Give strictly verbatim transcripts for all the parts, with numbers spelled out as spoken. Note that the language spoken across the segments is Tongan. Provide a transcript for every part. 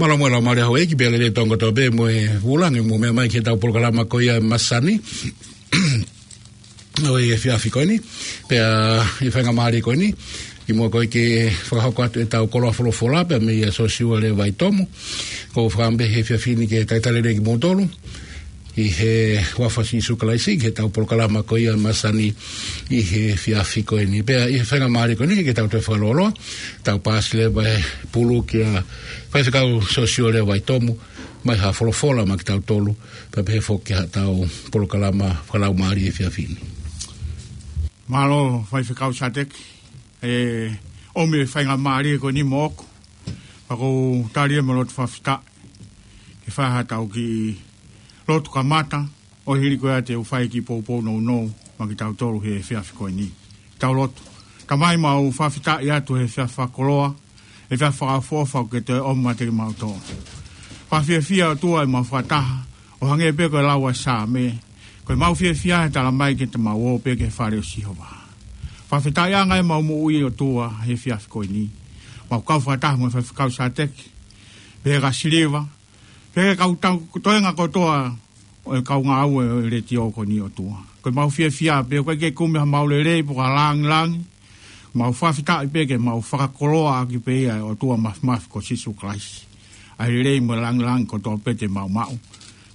Mālō mo e laumālie ʻa houʻeiki pea lelei tonu kotoa pē mo e vūlangi mo e meʻa mai ki heʻetau polokalama ko ia ʻa e masani ʻo e efiafi ko eni. Pea ʻi he faingamālie ko eni, kimuʻa ko e ke fakahoko atu ʻetau koloa folofola pea mei a Siosiua Lea Vaitomu, ʻoku ou fakaʻamu pē he efiafi ni ke talitali lelei kimoutolu ʻi he huafa ʻo Sīsū Kalaisi ki heʻetau polokalama ko ia ʻa e masani ʻi he efiafi ko eni. Pea ʻi he faingamālie ko eni ke tau toe fakalōloa, tau paasi leva e pulu kia Faifekau Siosiua Lea Vaitomu, ʻomai ha folofola maʻa kitautolu, pea pehē foki ki haʻatau polokalama fakalaumālie ʻi he efiafi ni. Mālō, Faifekau Sateki, ʻe ʻomi e faingamālie ko eni moʻoku, pea ʻoku ou tali ia mo e loto fakafetaʻi ke fai haʻatau kiʻi lotu kamata, ʻo hili ko ia te u fai e kiʻi poupou nounou maʻa kitautolu he efiafi ko eni. Tau lotu. Tamai, mau fakafetaʻi atu he efiafi fakakoloa, efiafi fakaʻofoʻofa ʻoku ke toe ʻomi maʻa kimautolu. Fakafiefia ʻOtua ʻemau fakataha, ʻo hangē pē ko e lau ʻa e Saame, ko ʻemau fiefia he tala mai ke te mau ō pē ki he fale ʻo Sihova. Fakafetaʻiʻanga ʻemau moʻui ʻOtua he efiafi ko eni. Mau kau fakataha mo e Faifekau Sateki, pehē kia Siliva, pehē ki he kau tau toenga kotoa ʻo e kau ngāue ʻo e letiō ko eni ʻOtua. Ko ʻemau fiefia pē ʻoku ʻikai ke kumi hamau lelei pe ko ha lāngilangi, mau fakafetaʻi pē ke mau fakakoloa ʻaki pē ia ʻa e ʻOtua Māfimafi ko Sīsū Kalaisi. ʻA e lelei mo e lāngilangi kotoa pē te mau maʻu,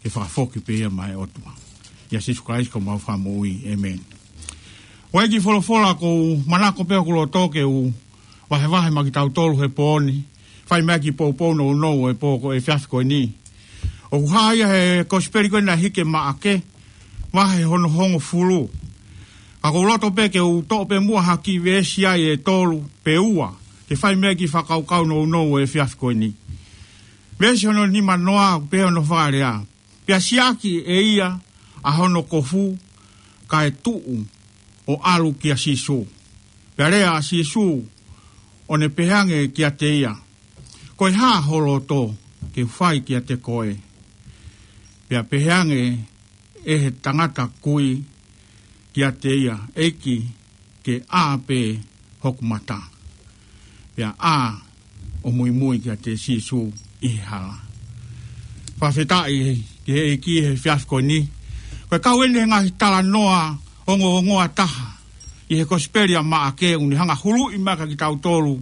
ke fakafoki pē ia maʻa e ʻOtua. ʻIa Sīsū Kalaisi ko homau Fakamoʻui. ʻĒmeni. ʻOku ʻi ai e kiʻi folofola ʻoku ou manako pē ʻi hoku loto ke u vahevahe maʻa kitautolu he pō ni, fai mai e kiʻi poupou nounou ʻo e pō ko e efiafi ko eni. ʻOku hā ia he Kosipeli ko ē naʻe hiki ʻe Maʻake, vahe hono hongofulu. Ka ʻoku ou loto pē ke u toʻo pē muʻa ha kiʻi veesi ai ʻe tolu pe ua, ke fai mai e kiʻi fakakaukau nounou ʻo e efiafi ko eni. Veesi hono nimanoa, pehē hono fakalea: Pea siʻaki ʻe ia ʻa hono kofu, kae tuʻu ʻo ʻalu kia Sīsū. Pea lea ʻa Sīsū, ʻo ne pehēange kiate ia: Ko e hā ho loto ke fai kiate koe? Pea pehēange ʻe he tangata kui kiate ia: ʻEiki, ke ʻā pē hoku mata. Pea ʻā ʻo muimui kiate Sīsū ʻi he hala. Fakafetaʻi ki he ʻEiki he efiafi ko eni. Ko e kau eni he ngaahi talanoa ongoongoa taha ʻi he Kosipeli ʻa Maʻake, ʻoku ne hanga ʻo huluʻi mai kia kitautolu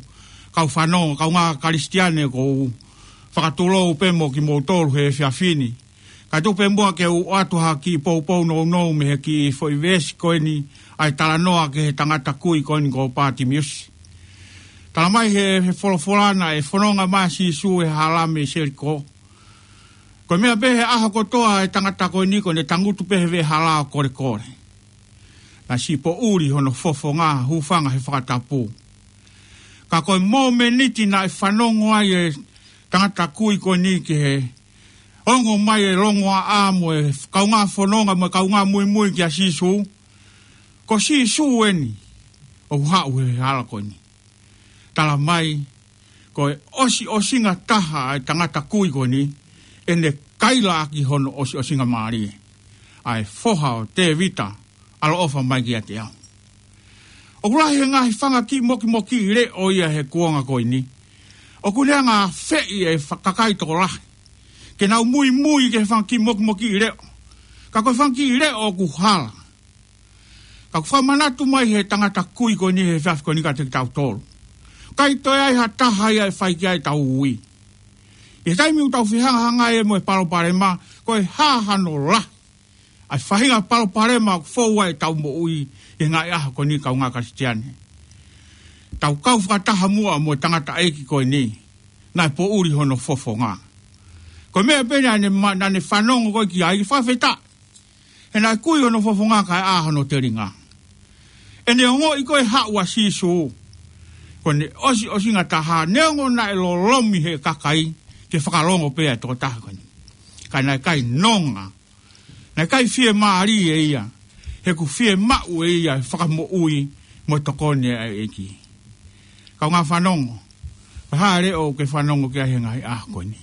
kau fanongo, kaungā Kalisitiane, ʻoku ou fakatulou pē mo kimoutolu he efiafi ni. Kae tuku pē muʻa ke u ʻoatu ha kiʻi poupou nounou mei he kiʻi foʻi veesi ko eni ʻa e talanoa ki he tangata kui ko eni ko Pātimiusi. Tala mai he, he folofola naʻe fononga mai ʻa Sīsū he hala mei Selikō. Ko e meʻa pē he ʻaho kotoa ʻa e tangata ko eni ʻoku ne tangutu pē he veʻe hala ʻo kolekole. Naʻe siʻi poʻuli hono fofonga, hūfanga he fakatapu. Ka ko e mōmeniti naʻe fanongo ai e tangata kui ko eni ki he ongo mai e longoaʻa mo e kaungā fononga mo e kaungā muimui kia Sīsū, ko Sīsū eni ʻoku haʻu he hala ko eni. Tala mai, ko e ʻosiʻosinga taha ʻa e tangata kui ko eni, ʻene kaila ʻaki hono ʻosiʻosingamālie: ʻA e Foha ʻo Tēvita, ʻaloʻofa mai kiate au. ʻOku lahi e ngaahi fanga kiʻi mokimokiʻi leʻo ia he kuonga ko eni ʻoku ne hanga ʻo afeʻi e fa-, kakai tokolahi ke nau muimui ki he fanga kiʻi mokimokiʻi leʻo. Ka ko e fanga kiʻi leʻo ʻoku hala. Ka ʻoku fakamanatu mai he tangata kui ko eni he efiafi ko eni kiate kitautolu, ʻikai toe ʻi ai ha taha ia ʻe fai ki ai ʻetau ui. ʻI he taimi ʻoku tau fehangahangai ai mo e palopalema, ko e hā hano lahi ʻa e faʻahinga palopalema ʻoku fou ai ʻetau moʻui ʻi he ngaahi ʻaho ko eni, kaungā Kalisitiane? Tau kau fakataha muʻa mo e tangataʻeiki ko eni naʻe poʻuli hono fofonga. Ko e meʻa pē naʻa ne ma-, naʻa ne fanongo ko ē ki ai, fakafetaʻi. He naʻe kui hono fofonga kae ʻā hono telinga. ʻEne ongoʻi ko ē haʻu ʻa Sīsū, ko ʻene ʻosiʻosinga taha, neongo naʻe lolomi he kakai ke fakalongo pē ʻa e tokotaha ko eni, ka naʻe ʻikai nonga, naʻe ʻikai fiemālie ia, he ʻoku fiemaʻu ʻe ia e fakamoʻui mo e tokoni ʻa e ʻEiki. Kaungā fanongo, ko e hā e leʻo ʻoku ke fanongo ki ai he ngaahi ʻaho ko eni?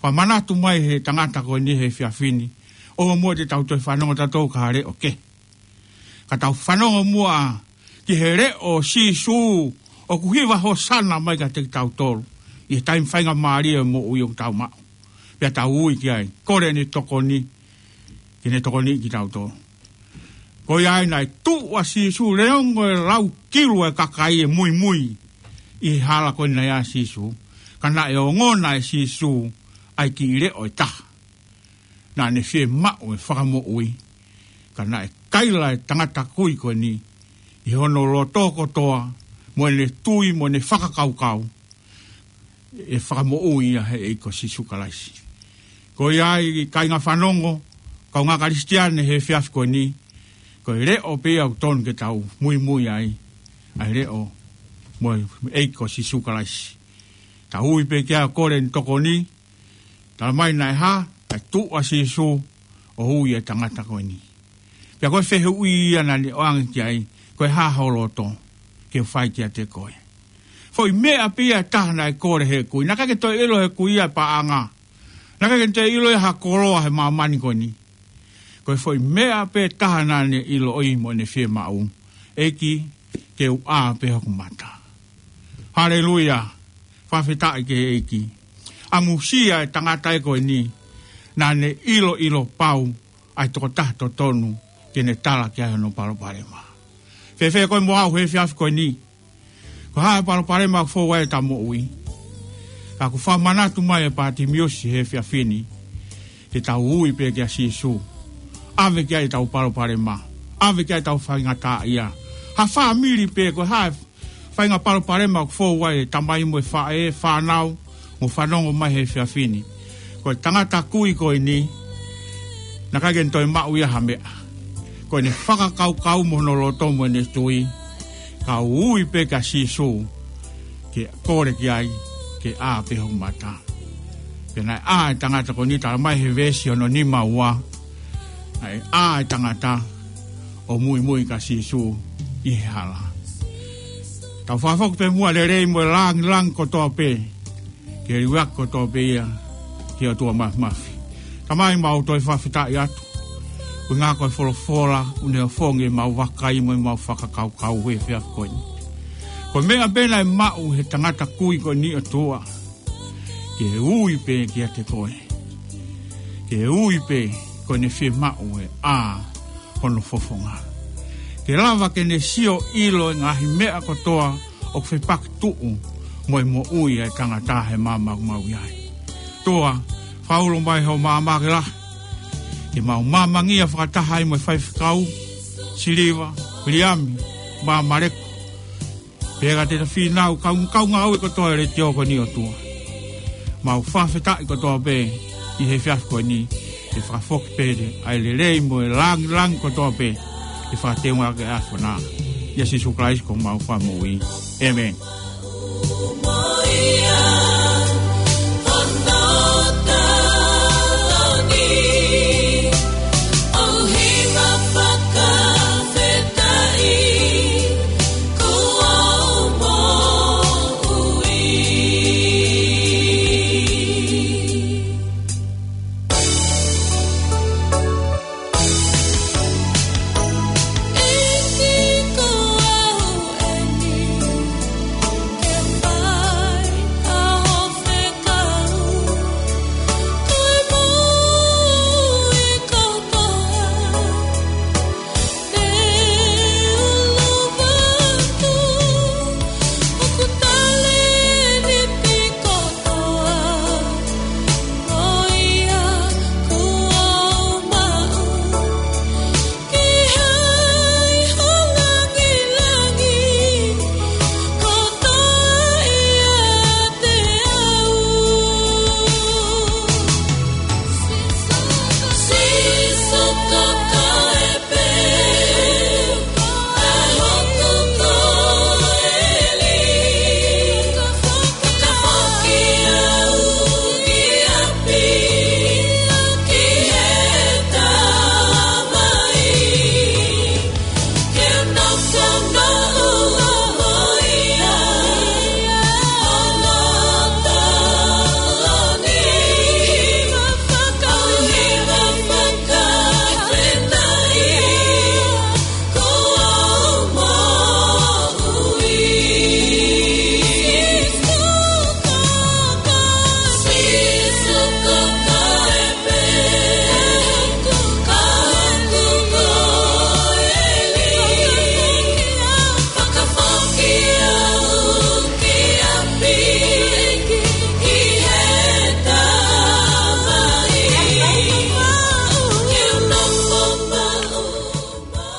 Fakamanatu mai he tangata ko eni he efiafi ni, ʻoua muʻa te tau toe fanongo tautolu ki ha leʻo kehe. Ka tau fanongo muʻa ki he leʻo ʻo Sīsū ʻoku hiva hōsana mai kiate kitautolu. ʻi he taimi faingamālie ʻo e moʻui ʻoku tau maʻu. Pea tau ui ki ai, kole ʻene tokoni, ke ne tokoniʻi kitautolu. Ko ia ai naʻe tuʻu ʻa Sīsū, neongo e lau kilu e kakai ʻe muimui ʻi he hala ko eni naʻe ʻi ai ʻa Sīsū. Ka naʻe ongona ʻe Sīsū ʻa e kiʻi leʻo ʻe taha naʻa ne fiemaʻu e fakamoʻui. Ka naʻe kaila e tangata kui ko eni ʻi hono loto kotoa, mo ʻene tui, mo ʻene fakakaukau, ʻe fakamoʻui ia ʻe he ʻEiki ko Sīsū Kalaisi. Ko ia ai kāinga fanongo, kaungā Kalisitiane he efiafi ko eni, ko e leʻo pē ia ʻoku tonu ke tau muimui ai, ʻa e leʻo mo e ʻEiki ko Sīsū Kalaisi. Tau ui pē ki ai ʻo kole ʻene tokoni, talamai naʻe hā, naʻe tuʻu ʻa Sīsū ʻo ui e tangata ko eni. Pea ko e fehuʻi ia naʻa ne ʻoange ki ai, ko e hā ho loto ke u fai kiate koe. Foʻi meʻa pē ia ʻe taha naʻe kole ʻe he kui. Naʻe ʻikai ke toe ʻilo ʻe he kui ia e paʻanga. Naʻe ʻikai ke toe ʻilo ia ha koloa he māmani ko eni. Ko e foʻi meʻa pē ʻe taha naʻa ne ʻiloʻi mo ne fiemaʻu. ʻEiki, ke u ʻā pē hoku mata. Haleluia. Fakafetaʻi ki he ʻEiki. ʻAmusia e tangata ē ko eni, naʻa ne ʻiloʻilo pau ʻa e tokotaha totonu ke ne tala ki ai hono palopalema. Fēfē koe mo au he efiafi ko eni? Ko e hā e palopalema ʻoku fou ai ʻeta moʻui? Ka ʻoku fakamanatu mai ʻe Pātimiusi he efiafi ni, ke tau ui pē kia Sīsū. ʻAve ki ai ʻetau palopalema. ʻAve ki ai ʻetau faingataʻaʻia. Ha fāmili pē, ko e hā e faʻahinga palopalema ʻoku fou ai e tamai mo e faʻē, fānau, mo fanongo mai he efiafi ni. Ko e tangata kui ko eni, naʻe ʻikai ke ne toe maʻu ia ha meʻa. Ko ʻene fakakaukau mo hono loto mo ʻene tui, ka ui pē kia Sīsū, ke kole ki ai, ke ʻā pē hoku mata. Pea naʻe ʻā e tangata ko eni, talamai he veesi hono nima ua, naʻe ʻā e tangata ʻo muimui kia Sīsū ʻi he hala. Tau fakafoki pē muʻa e lelei mo e lāngilangi kotoa pē, ke liuaki kotoa pē ia ki he ʻOtua Māfimafi. Tamai, mau toe fakafetaʻi atu. Ko e ngaahi ko e folofola, ʻoku ne ʻofongi ʻemau vakai mo ʻemau fakakaukau he efiafi ko eni. Ko e meʻa pē naʻe maʻu he tangata kui ko eni, ʻOtua, ke ui pē kiate koe. Ke ui pē ko ʻene fiemaʻu e ʻā hono fofonga. Ke lava ke ne sio ʻilo e ngaahi meʻa kotoa ʻoku fepaki tuʻu mo e moʻui ʻa e tangata he māmani ʻoku mau ʻi ai. ʻOtua, fakaulo mai ho maama ke lahi, ke mau māmangia fakataha ai mo e faifekau, Siliva, Liami, Māmaleku, pea ka te ta fīnau, kau, kaungāue kotoa e letiō ko eni, ʻOtua. Mau fakafetaʻi kotoa pē ʻi he efiafi ko eni, ke fakafoki pē ʻa e lelei mo e lāngilangi kotoa pē, ke fakateunga ke ʻAfiona. ʻIa Sīsū Kalaisi ko homau Fakamoʻui. ʻĒmeni.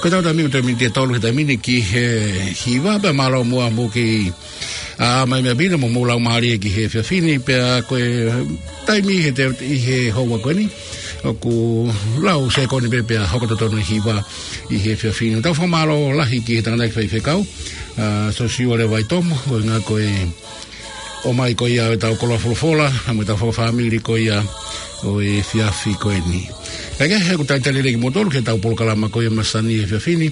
Pea tau taimi ʻoku toe miniti ʻe tolu he taimi ni ki he hiva, pea mālō muʻa mo kei ʻa mai meʻa pina mo mou laumālie ki he efiafi ni, pea ko e taimi he te, ʻi he houa ko eni, ʻoku lau sekoni pē pea hoko totonu e hiva ʻi he efiafi ni. Tau fakamālō lahi ki he tangataʻeiki faifekau, ʻa, Sosiua Leva Vaitomo, ko e ngā ko e ʻomai ko ia ʻo e tau koloa folofola, mo e tau fakafāmili ko ia ʻo e efiafi ko eni. Kae kehe, ʻoku talitali lelei kimoutolu ki he tau polokalama ko ia masani he efiafi ni,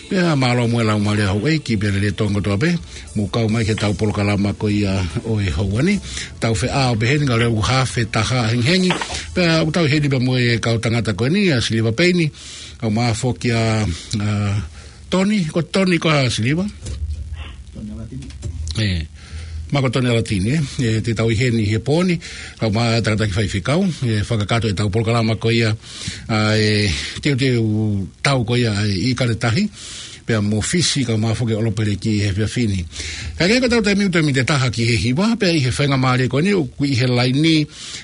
pea mālō muʻa e laumālie ʻa houʻeiki pea Lelei Tonga kotoa pē, mou kau mai ki he tau polokalama ko ia ʻo e houa ni. Tau feʻao pē heni ka leu hafe taha hengihengi, pea ʻoku tau ʻi heni pea mo e kau tangata ko eni, ʻa Siliva Peini, kae ʻumaʻā foki ʻa, ʻa, Toni, ko Toni ko ā Siliva? ʻE, ma ko Toni Alatini, ē? ʻE, te tau ʻi heni he pō ni, kae ʻumaʻā e tangataʻeiki faifekau, ʻe, fakakakato e tau polokalama ko ia, ʻa e teuteu tau ko ia, ʻa e ʻIkale Tahi, pea mo Fisi kae ʻumaʻā foki ʻOlopeleki he efiafi ni. Kae kehe, ko e tau taimi ʻoku toe miniti ʻe taha ki he hiva, pea ʻi he faingamālie ko eni, ʻoku ʻi he laini,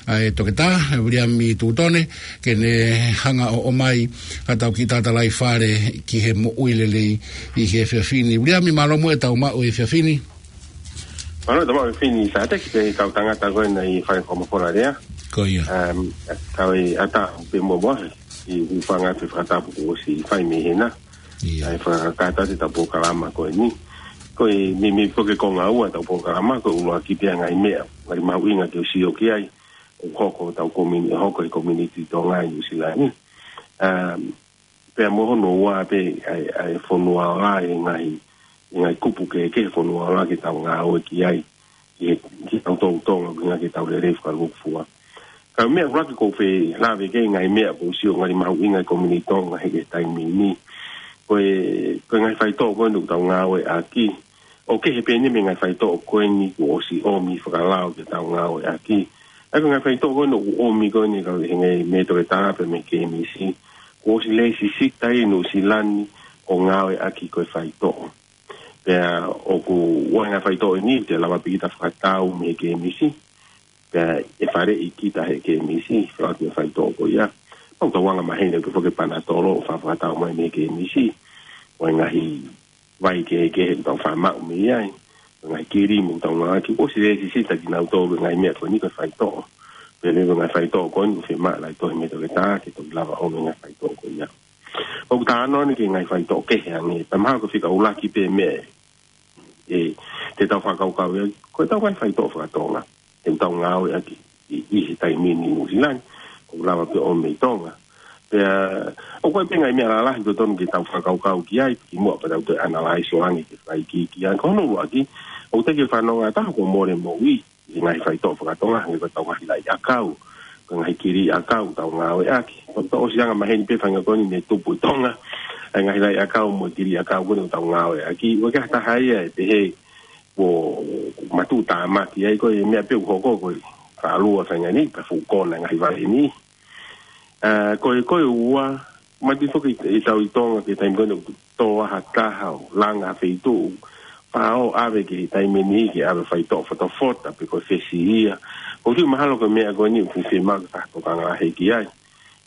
ʻa e Toketā, ʻa Viliami Tutone, ke ne hanga ʻo ʻomai ha tau kiʻi talitali fale ki he moʻui lelei ʻi he efiafi ni. Viliami, mālō muʻa e tau maʻu he efiafi ni. Mālō e tau maʻu he efiafi ni, Sāteki, pea kau tangata ko ena ʻi he fale koloa folofola lea. Ko ia. Um, kau ʻi ʻatā pē mo mohe, ʻi he fanga te fakatapu kuo ʻosi fai mei hena. Ia. ʻA e fakakakato e tau polokalama ko eni. Ko e meimei foki ko e ngāue e tau polokalama, ko e ʻuluaki pē ʻa e ngaahi meʻa, ngaahi mahuʻinga ke u sio ki ai, ʻoku hoko ʻi hotau komini-, hoko ʻi he community Tonga ʻi Nuʻu Sila ni. Um, pea mo hono ua pē ʻa e, ʻa e fonua ola, ʻi he ngaahi, ʻi he ngaahi kupu kehekehe fonua ola ke tau ngāue ki ai, ki he, ki he tau tau Tonga, ki he ngaahi tau lelei fakalūkufua. Ka ko e meʻa ʻuluaki ʻoku ou fie lave ki ai, ngaahi meʻa ʻoku ou sio ngaahi mahuʻinga ʻi he komini Tonga he, he taimi ni. Ko e, ko e ngaahi faitoʻo ko eni ʻoku tau ngāueʻaki, ʻoku kehe pē eni mei he ngaahi faitoʻo ko eni kuo ʻosi ʻomi fakalao ke tau ngāueʻaki. ʻA ia ko e ngaahi faitoʻo ko eni ʻoku ʻomi ko eni ka he ngaahi mei he Toketā pea mei he K M C, kuo ʻosi lēsisita ʻi Nuʻu Sila ni ʻo ngāueʻaki ko e faitoʻo. Pea ʻoku ʻi ai e ngaahi faitoʻo ʻe niʻihi te lava pē kita fakatau mei he K M C. Pea ʻe faleʻi kita he K M C, faleʻi e faitoʻo ko ia. Pau tau anga maheni pē foki e Panatolo ʻoku fakatau mai mei he K M C. ʻO e ngaahi vai kehekehe ʻoku tau faʻa maʻu mei ai. Ngaahi kilimu ʻoku tau ngāueʻaki, kuo ʻosi lēsisita kinautolu he ngaahi meʻa ko eni ko e faitoʻo. Pea leva e ngaahi faitoʻo ko eni ʻoku fiemaʻu e Toketā ke toki lava ʻo ʻomi e ngaahi faitoʻo ko ia. ʻOku talanoa ni ki he ngaahi faitoʻo kehe ange, pea mahalo ko e fika ʻuluaki pē meʻa ʻe, te tau fakakaukau ia, ko e tau ngaahi faitoʻo faka-Tonga ʻoku tau ngāueʻaki ʻi, ʻi he taimi ni ʻi Nuʻu Sila ni, ʻoku lava pē ʻo ʻomi mei Tonga. Pea, ʻoku ʻi ai pē ngaahi meʻa lalahi ʻoku totonu ke tau fakakaukau ki ai, kimuʻa pea tau toe analyze ʻo ange ke fakaikiiki ange. Ko hono ʻuluaki, ʻoku teʻeki ke fanongo ʻa taha kuo mole moʻui ʻi he ngaahi faitoʻo faka-Tonga, hangē ko e tau ngaahi laʻi ʻakau, ko e ngaahi kili ʻakau ʻoku tau ngāueʻaki. Ko e tau ʻosi anga maheni pē faʻahinga ko eni ne tupu ʻi Tonga, ʻa e ngaahi laʻi ʻakau mo e kili ʻakau ko eni ʻoku tau ngāueʻaki. ʻOku ʻikai ha taha ia ʻe pehē kuo matuʻutāmaki ai, ko e meʻa pē ʻoku hoko ko e fakalua faʻahinga ni, pea fuʻu kona e ngaahi vale ni. ʻA, ko e, ko e ua, mati foki ʻi tau ʻi Tonga ki he taimi ko eni ʻoku tō ai ha taha ʻo langa ha feituʻu, pea ʻave ki he taimi ni ke ʻave faitoʻo fotofota pe ko e fesi ia. ʻOku ou tui mahalo ko e meʻa ko eni ʻoku fiemaʻu ke fakatokanga lahi ki ai.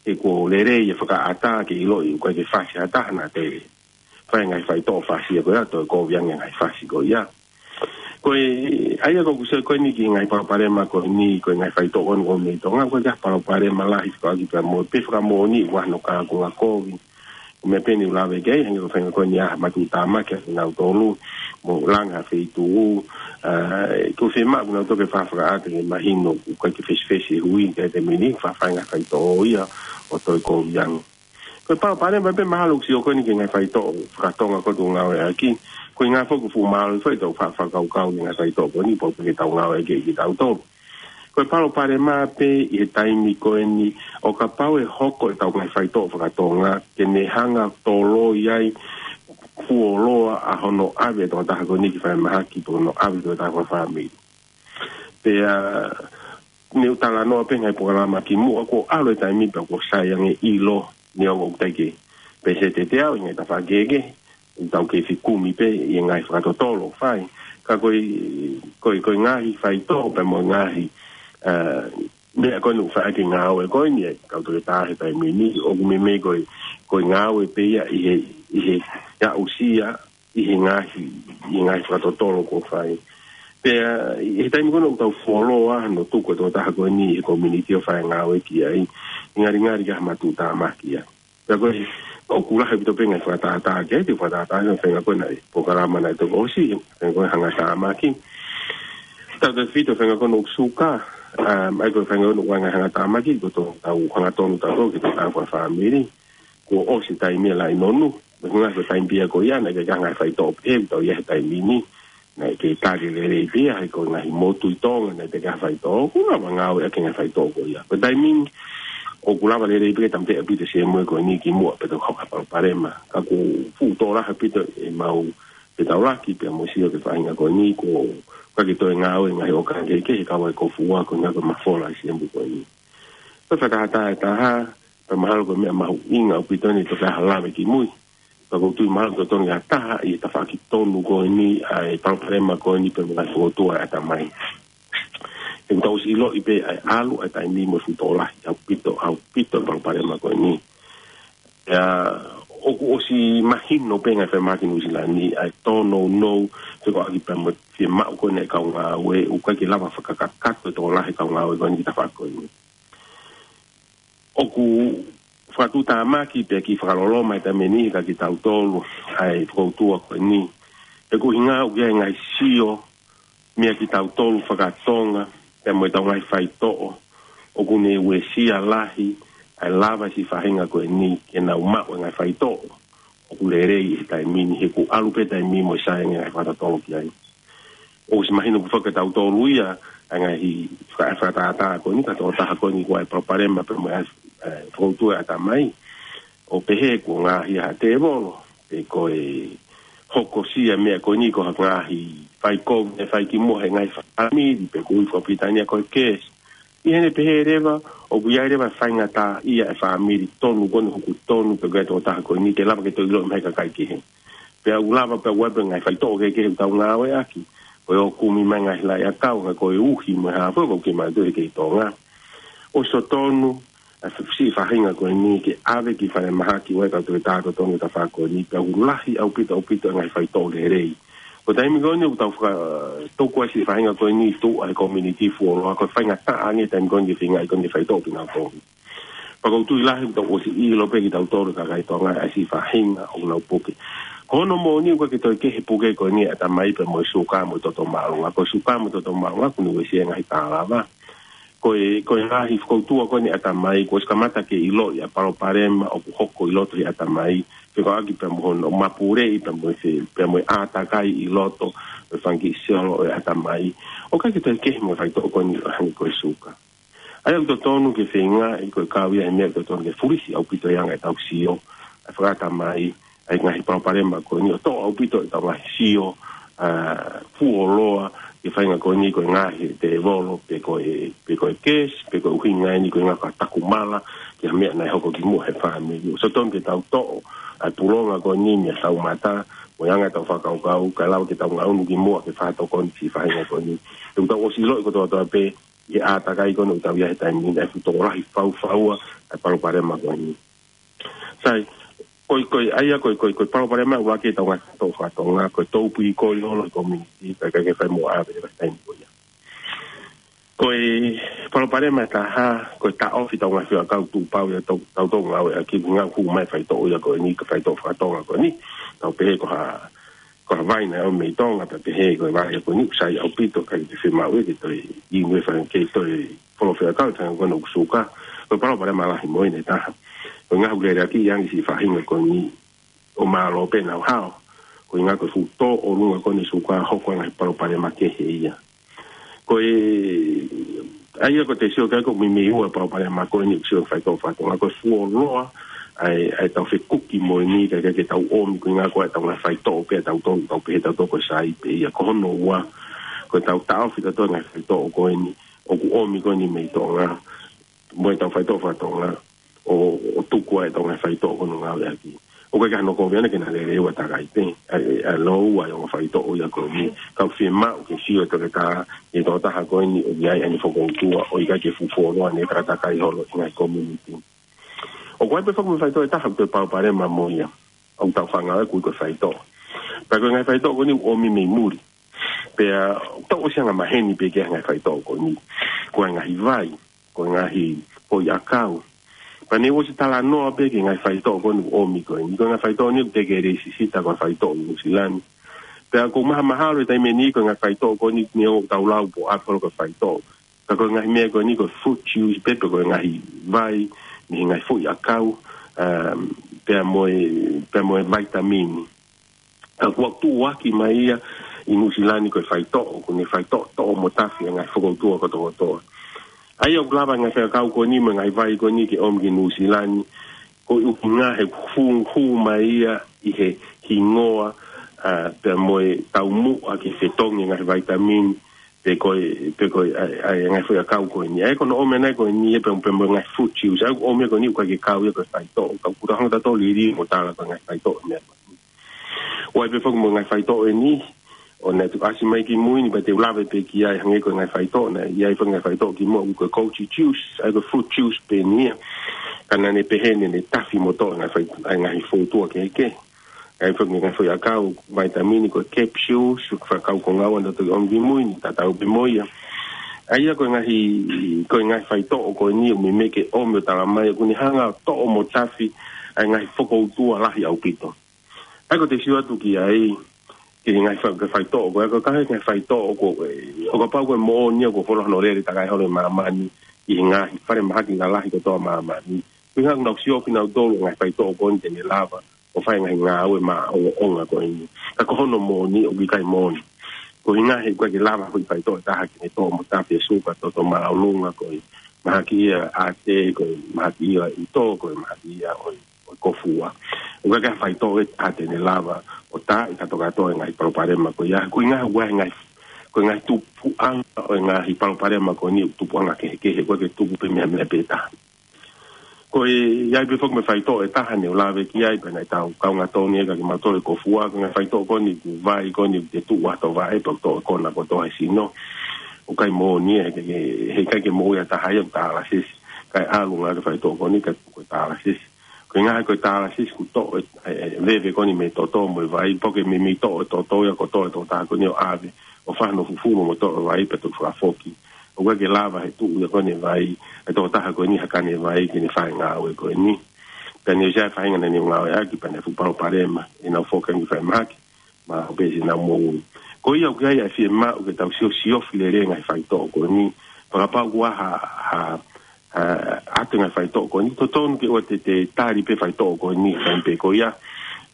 He kuo lelei e fakaʻatā ke ʻiloʻi ʻoku ʻikai ke fasi ha taha naʻa toe fai e ngaahi faitoʻo fasi ia ko ia, toe kovi ange e ngaahi fasi ko ia. Ko e, ʻa ia ko ʻeku sio ko eni ki he ngaahi palopalema ko eni, ko e ngaahi faitoʻo ko eni ʻoku ʻomi mei Tonga, ʻoku ʻikai ha palopalema lahi fekauʻaki pea mo e, pe fakamoʻoni ʻoku ʻi ai hano kaunga kovi. Ko e meʻa pē eni ʻoku lave ki ai, hangē ko e faʻahinga ko eni ʻa e matuʻutāmaki ʻa kinautolu, mo langa ha feituʻu, ʻa, ʻoku fiemaʻu kinautolu ke faʻa fakaʻata ke mahino ʻoku ʻikai ke fesifesi e hui, ke te mini, faʻa fai e ngaahi faitoʻo ia, ʻo toe kovi ange. Ko e palopalema pē mahalo ʻoku sio ko eni ki he ngaahi faitoʻo faka-Tonga ko ē ʻoku tau ngāueʻaki. Ko e ʻuhinga foki ʻoku fuʻu mālohi foki ʻetau faʻa fakakaukau ki he ngaahi faitoʻo ko eni, pau pē ke tau ngāueʻaki ʻe kitautolu. Ko e palopalema pē ʻi he taimi ko eni ʻo kapau ʻe hoko ʻetau ngaahi faitoʻo faka-Tonga, ke ne hanga ʻo toloi ai, fuoloa ʻa hono ʻave ʻe he tokotaha ko eni ki falemahaki, pe hono ʻave ʻe he tokotaha fakafāmili. Pea, ne u talanoa pē he ngaahi polokalama kimuʻa, kuo ʻalu e taimi pea kuo sai ange ʻilo, neongo ʻoku teʻeki ke pēseti ʻe teau ʻi he ngaahi tafaʻaki kehekehe, ʻoku tau kei fekumi pē ʻi he ngaahi fakatotolo ʻoku fai. Ka ko e, ko e, ko e ngaahi faitoʻo pea mo e ngaahi, ʻa, meʻa ko eni ʻoku fai ʻaki e ngāue ko eni ʻa e kau toketā he taimi ni, ʻoku meimei ko e, ko e ngāue pē ia ʻi he ʻi he, ʻi he aʻusia, ʻi he ngaahi, ʻi he ngaahi fakatotolo kuo fai. Pea, ʻi he taimi ko ena ʻoku tau fuoloa, ʻo tuku e tokotaha ko eni ʻi he community ʻo fai e ngāue ki ai, ʻe ngalingali ke ʻi ai ha matuʻutāmaki ia. Pea ko e, ʻoku lahi ʻaupito pē ngaahi fakatātā ki ai, te u fakatātā ʻi he feinga ko ena ʻi he polokalama naʻe toki ʻosi, feinga ko e hangatāmaki. Tautautefito feinga ko ena ʻoku suka, um, ʻa ia ko e feinga ko ena ʻoku ʻi ai ngaahi hangatāmaki, ko ʻetau hangatonu tautolu ki he tokotaha fāmili. Kuo ʻosi e taimi ia ʻa e laʻi nonu, mo e ngaahi taimi pē ia ko ia, naʻe ʻikai ke ʻi ai ha ngaahi faitoʻo pē, ʻoku tau ʻi ai he taimi ni, naʻe ʻikai ke tali lelei pē ia, he ko e ngaahi motu ʻi Tonga, naʻe ʻikai ke ʻi ai ha faitoʻo, ʻoku lava ngāueʻaki e ngaahi faitoʻo ko ia. Ko e taimi ni, ʻoku lava lelei pē ke tāmateʻi ʻaupito e C M A ko eni kimuʻa pea toki hoko ha palopalema. Ka ʻoku fuʻu tō lahi ʻaupito ʻemau fetaulaki pea mo e sio ki he faʻahinga ko eni, ʻoku ʻikai ke toe ngāue e ngaahi ʻōkanga kehekehe, kau ai e kofuua ko e ngaahi mafola ʻa e C M A ko eni. Ko e fakatātā ʻe taha, pea mahalo ko e meʻa mahuʻinga ʻaupito eni ʻe toki ʻi ai ha lave kimui. Pea ʻoku ou tui mahalo ʻoku totonu ke ʻi ai ha taha ʻi he tafaʻaki tonu ko eni ʻa e palopalema ko eni pea mo e ngaahi fokoutua ʻa e ʻatamai. He ʻoku tau ʻosi ʻiloʻi pē ʻa e ʻalu ʻa e taimi mo e fuʻu tō lahi ʻaupito, ʻaupito e palopalema ko eni. Pea ʻoku ʻosi mahino pē ʻe he ngaahi falemahaki Nuʻusila ni ʻa e tōnounou, fekauʻaki pea mo e fiemaʻu ko eni ʻa e kau ngāue, ʻoku ʻikai ke lava fakakakato e tō lahi e kau ngāue ko eni ki he tafaʻaki ko eni. ʻOku fakatuʻutāmaki pea kiʻi fakaloloma e taimi ni kiate kitautolu ʻa e fokoutua ko eni. He ko e ʻuhinga ʻoku ʻi ai e ngaahi sio meia kitautolu faka-Tonga, pea mo ʻetau ngaahi faitoʻo, ʻoku ne uesia lahi ʻa e lava e siʻi faʻahinga ko eni ke nau maʻu e ngaahi faitoʻo ʻoku lelei he taimi ni, he ʻoku ʻalu pē e taimi mo e saiʻia e ngaahi fakatotolo ki ai. ʻOsi mahino ʻoku foki kiate kitautolu ia ʻa e ngaahi faka-, fakatātā ko eni, ka ko e tokotaha ko eni ʻoku ʻi ai e palopalema pea mo e, e, fokoutua e ʻatamai. ʻO pehē kuo ngaohi ia ʻe he tēvolo, pe ko e hokosia e meʻa ko eni ko ha ngaahi faikovi naʻe fai kimuʻa ʻe he ngaahi fāmili, pe ko e ui fakapilitānia ko e curse. ʻI heʻene pehē leva, ʻoku ʻi ai leva e faingataʻaʻia ʻa e fāmili tonu ko eni ʻoku tonu, pe ko e tokotaha ko eni, ke lava ke toe ʻiloʻi mai ʻe he kakai kehe. Pea ʻoku lava pē ʻa e ngaahi faitoʻo kehekehe ʻoku tau ngāueʻaki, ko e ō ʻo kumi mai e ngaahi laʻi ʻakau, ka ko e uhi mo e hā fua ʻoku kei maʻu ʻi he kei Tonga. ʻOsi totonu ʻa e siʻi faʻahinga ko eni ke ʻave ki he falemahaki ʻo e kau toketā totonu ʻo e tafaʻaki ko eni, pea ʻoku lahi ʻaupito, ʻaupito e ngaahi faitoʻo lelei. Ko e taimi ko eni ʻoku tau fakatuku ai e siʻi faʻahinga ko eni ʻi tuʻa he community fuoloa, ko e faingataʻa ange e taimi ko eni ke feingaʻi ko eni ke faitoʻo kinautolu. Pea ʻoku ou tui lahi ʻoku tau ʻosi ʻilo pē kitautolu kakai Tonga ʻa e siʻi faʻahinga ʻoku nau puke. Ko hono moʻoni ʻoku ʻikai ke toe kehe e puke ko eni ʻa e ʻatamai pea mo e suka mo e toto māʻolunga. Ko e suka mo e toto māʻolunga ʻoku ne uesia e ngaahi tālava. Ko e, ko e ngaahi fokoutua ko eni ʻa e ʻatamai, kuo ʻosi kamata ke ʻiloʻi ʻa e palopalema ʻoku hoko ʻi loto he ʻatamai, fekauʻaki pea mo hono mapuleʻi pea mo e fe-, pea mo e ʻātakai ʻi loto ʻo e fanga kiʻi selo ʻo e ʻatamai. ʻOku ʻikai ke toe kehe mo e faitoʻo ko eni ʻo hangē ko e suka. ʻA ia ʻoku totonu ke feingaʻi ko e kau ia he meʻa ʻoku totonu ke fulisi ʻaupito e anga ʻetau sio ʻa e fakaʻatamai ʻa e ngaahi palopalema ko eni, ʻo toʻo ʻaupito ʻetau ngaahi sio, ʻa, fuoloa ki he faʻahinga ko eni ko e ngaohi ʻe he tēvolo, pe ko e, pe ko e curse, pe ko e ʻuhinga eni ko e ngaahi fakatakumala ki ha meʻa naʻe hoko kimuʻa he fāmili. ʻOku totonu ke tau toʻo ʻa e pulonga ko eni mei hotau mata mo e anga ʻetau fakakaukau, kae lava ke tau ngaʻunu kimuʻa ke fakatokoni e siʻi faʻahinga ko eni. He ʻoku tau ʻosi ʻiloʻi kotoa kotoa pē ʻi he ʻātakai ko eni ʻoku tau ʻi ai he taimi ni, ʻa e fuʻu tokolahi faufaua ʻa e palopalema ko eni. Sai, ko e, ko e, ʻa ia ko e, ko e, ko e palopalema ʻuluaki ʻetau ngaahi faitoʻo faka-Tonga, ko e tōpili ko ē ʻi loto he community, kae ʻikai ke fai mo ʻave he taimi ko ia. Ko e palopalema ʻe taha, ko e taʻofi ʻetau ngaahi fekau tuʻupau ia ʻoku tau, tau ngāueʻaki, ngaahi hū mai e faitoʻo ia ko eni, ko e faitoʻo faka-Tonga ko eni, tau pehē ko ha ko ha vai naʻe ʻomi mei Tonga, pea pehē ko e vai ko eni ʻoku sai ʻaupito, ʻikai ke fiemaʻu ia ke toe inu e fanga, ke toe folo fekau, fanga ko ena ʻoku suka. Ko e palopalema lahi mo ia ʻe taha. Ko e ngaahi ʻū leleaki ʻi he ngaahi siʻi faʻahinga ko eni ʻoku mālō pē ʻenau hao. Ko e ʻuhinga ko e fuʻu tō ʻolunga ko eni e suka, hoko e ngaahi palopalema kehe ia. Ko e, ʻa ia ʻoku te sio ki ai ʻoku meimei ua e palopalema ko eni ʻoku sio he faitoʻo faka-Tonga, ko e fuoloa ʻa e, ʻa ʻetau fekuki moʻoni, kae ʻikai ke tau ʻomi, ko e ʻuhinga ko ʻetau ngaahi faitoʻo pē ʻatautolu, tau pehē ʻatautolu ko e sai pē ia. Ko hono ua, ko ʻetau taʻofi ʻatautolu e ngaahi faitoʻo ko eni ʻoku ʻomi ko eni mei Tonga mo ʻetau faitoʻo faka-Tonga, ʻo, ʻo tuku ai ʻetau ngaahi faitoʻo ko ē ʻoku nau ngāueʻaki. ʻOku ʻikai ke ʻi ai hano kovi ʻana ke na lele ua takai pē, ʻa e, ʻa e lōua ʻo e ongo faitoʻo ia ko eni. Ka ʻoku fiemaʻu ke sio e toketā ki he tokotaha ko eni ʻoku ʻi ai ʻene fokoutua, ʻo ʻikai ke fuʻu fuoloa ʻene fakatakai holo ʻi he ngaahi community. ʻOku ʻi ai pē foki mo e faitoʻo ʻe taha ʻoku toe palopalema mo ia. ʻoku tau fānau ai, ʻoku ui ko e faitoʻo. Pea ko e ngaahi faitoʻo ko eni ʻoku ʻomi mei muli. Pea ʻoku tau ʻosi anga maheni pē ki he ngaahi faitoʻo ko eni. Ko e ngaahi vai, ko e ngaahi foʻi ʻakau. Pea ne u ʻosi talanoa pē ki he ngaahi faitoʻo ko eni ʻoku ʻomi ko eni. Ko e ngaahi faitoʻo ni ʻoku teʻeki ke lēsisita ko e faitoʻo ʻi Nuʻusila ni. Pea ʻoku mahamahalo he taimi ni ko e ngaahi faitoʻo ko eni ne ʻoku tau lau pē ʻo ʻave holo ko e faitoʻo. Ka ko e ngaahi meʻa ko eni ko e fruit juice pē pe ko e ngaahi vai, mei he ngaahi foʻi ʻakau, um, pea mo e, pea mo e vaitamini. Ka kuo tuʻuaki mai ia ʻi Nuʻusila ni ko e faitoʻo, ko e ngaahi faitoʻo toʻo mo tafi e ngaahi fokoutua kotokotoa. ʻA ia ʻoku lava e ngaahi fekau ko eni mo e ngaahi vai ko eni ke ʻomi ki Nuʻusila ni, ko e ʻuhinga he hū, hū mai ia ʻi he hingoa, ā, pea mo e taumuʻa ke fetongi e ngaahi vaitamini, pe ko e, pe ko e, ʻa e, ʻa e ngaahi foʻi ʻakau ko eni. ʻA ia ko hono ʻomi ʻana ko eni ia pea, pea mo e ngaahi fruit juice. ʻA ia ʻoku ʻomi ko eni ʻoku ʻikai ke kau ia ko e faitoʻo. Ka ʻoku tau hanga ʻo tatoli lī mo tala ko e ngaahi faitoʻo meʻa ko eni. ʻOku ʻi ai pē foki mo e ngaahi faitoʻo eni, ʻo naʻe tuku ʻasi mai ki mui ni, pea te u lave pē ki ai hangē ko e ngaahi faitoʻo, naʻe ʻi ai foki e ngaahi faitoʻo kimuʻa ʻoku ko e goji juice, ʻa ia ko e fruit juice pē eni ia. Ka naʻa ne pehē ni ne tafi mo toʻo e ngaahi fai-, ʻa e ngaahi fokoutua kehekehe. ʻA ia foki e ngaahi foʻi ʻakau, vaitamini ko e capsules, ʻoku fakakau ko e ngāue naʻe toki ʻomi ki mui ni, tatau pē mo ia. ʻA ia ko e ngaahi, ko e ngaahi faitoʻo ko eni ʻoku meimei ke ʻomi ʻo tala mai, ʻoku ne hanga ʻo toʻo mo tafi ʻa e ngaahi fokoutua lahi ʻaupito. ʻA ia ko e te u sio atu ki ai, ki he ngaahi fai-, ki he faitoʻo, ko e, ko e ngaahi faitoʻo ko e, ʻo kapau ko e moʻoni ia ʻoku fuoloa hono lele takai holo ʻi māmani, ʻi he ngaahi fale mahaki lalahi kotoa ʻo māmani. Ko e ʻuhinga ʻoku nau sio kinautolu ngaahi faitoʻo ko eni te ne lava ʻo fai ngaahi ngāue maʻongoʻonga ko eni. Ka ko hono moʻoni ʻoku ʻikai moʻoni. Ko e ʻuhinga he ʻoku ʻikai ke lava foʻi faitoʻo ʻe taha ke ne toʻo mo tafi e suka, toto māʻolunga, ko e mahaki ia ʻa e ʻaté, ko e mahaki ia ʻa e ʻutō, ko e mahaki ia ʻo e ʻo e kofua. ʻOku ʻikai ke faitoʻo ʻe taha te ne lava ʻo taaʻi kātoa e ngaahi palopalema ko ia. Ko e ʻuhinga ʻoku ʻi ai e ngaahi, ko e ngaahi tupuʻanga ʻo e ngaahi palopalema ko eni ʻoku tupuʻanga kehekehe, ʻoku ʻikai ke tupu pē meʻa, meʻa pē taha. Ko e ʻi ai pē foki mo e faitoʻo ʻe taha ne u lave ki ai, pea naʻe tau kaungā tonu ia kiate kimautolu he kofua, ko e ngaahi faitoʻo ko eni ʻoku vai ko eni ʻoku te tuʻu ʻi ho vaʻe pea toʻo e kona kotoa he sino. ʻOku ʻikai moʻoni ia, he, he, he ʻikai ke moʻui ʻa e taha ia ʻoku dialysis. Kae ʻalu ngā ke faitoʻo ko eni kae tuku e dialysis. Ko e ʻuhinga he ko e dialysis ʻoku toʻo e, e, e veve ko eni mei he toto mo e vai, pea ʻoku meimei toʻo e toto ia kotoa ʻe he tokotaha ko eni ʻo ʻave, ʻo fai hono fufulu mo toʻo e vai pea toki fakafoki. ʻOku ʻikai ke lava he tuʻu ia ko eni e vai, ʻe he tokotaha ko eni ha kane vai ke ne fai e ngāue ko eni. Pea ne u sio ai e faʻahinga naʻa ne ngāueʻaki pea naʻe fuʻu palopalema, ʻenau foki ange ki fale mahaki, mahalo pē siʻenau moʻui. Ko ia ʻoku ʻi ai e fiemaʻu ke tau siosiofi lelei e ngaahi faitoʻo ko eni. Pea kapau ʻoku ʻi ai ha, ha, ha, ʻoatu e ngaahi faitoʻo ko eni. Totonu ke ʻoua te te tali pē faitoʻo ko eni he taimi pē ko ia.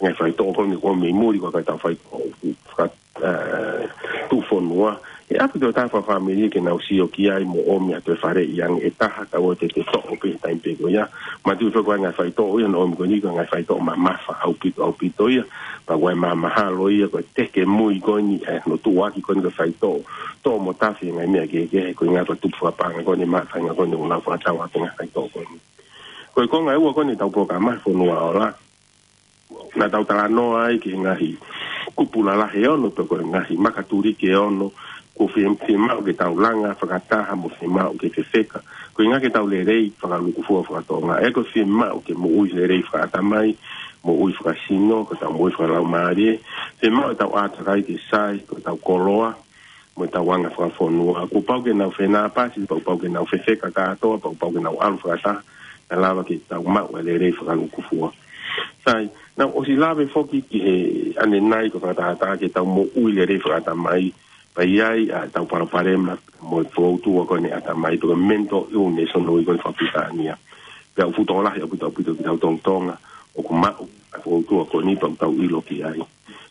Ngaahi faitoʻo ko eni ʻoku ʻomi mei muli ko e ngaahi faitoʻo faka-, ē, tuʻufonua. ʻE ʻapi ki he tokotaha fakafāmili ke nau sio ki ai mo ʻomi ʻa e toe faleʻi ange ʻe taha, ka ʻoua te te toʻo pē he taimi pē ko ia. Manatuʻi foki ko e ngaahi faitoʻo ia naʻe ʻomi ko eni ko e ngaahi faitoʻo mamafa ʻaupito, ʻaupito ia. Pea ʻoku ʻi ai e mahamahalo ia ko e teke mui ko eni, ē, hono tuʻuaki ko eni ko e faitoʻo toʻo mo tafi e ngaahi meʻa kehekehe, ko e ʻuhinga ko e tupu fakapaʻanga ko eni mo e faʻahinga ko eni ʻoku nau fakatau ʻaki e ngaahi faitoʻo ko eni. Ko e konga ʻe ua ko eni ʻetau polokalama Fonua Ola. Naʻa tau talanoa ai ki he ngaahi kupu lalahi ʻe ono, pe ko e ngaahi makatuliki ʻe ono, ʻoku fie-, fiemaʻu ke tau langa fakataha mo fiemaʻu ke fefeka. Ko e ʻuhinga ke tau lelei fakalūkufua faka-Tonga. ʻA ia ʻoku fiemaʻu ke moʻui lelei fakaʻatamai, moʻui fakasino, ko ʻetau moʻui fakalaumālie. Fiemaʻu ʻetau ʻātakai ke sai, ko ʻetau koloa, mo ʻetau anga fakafonua. Kuo pau ke nau fenāpasi, pea kuo pau ke nau fefeka kātoa, pea kuo pau ke nau ʻalu fakataha, kae lava ke tau maʻu e lelei fakalūkufua. Sai, naʻa ku ʻosi lave foki ki he ʻanenai ko e fakatātā ke tau moʻui lelei fakaʻatamai, pea ʻi ai ʻa ʻetau palopalema mo e fokoutua ko eni ʻatamai, pe ko e mental illness hono ui ko eni fakapilitānia. Pea ʻoku fuʻu tokolahi ʻaupito, ʻaupito kitautolu Tonga ʻoku maʻu ʻa e fokoutua ko eni pea ʻoku tau ʻilo ki ai.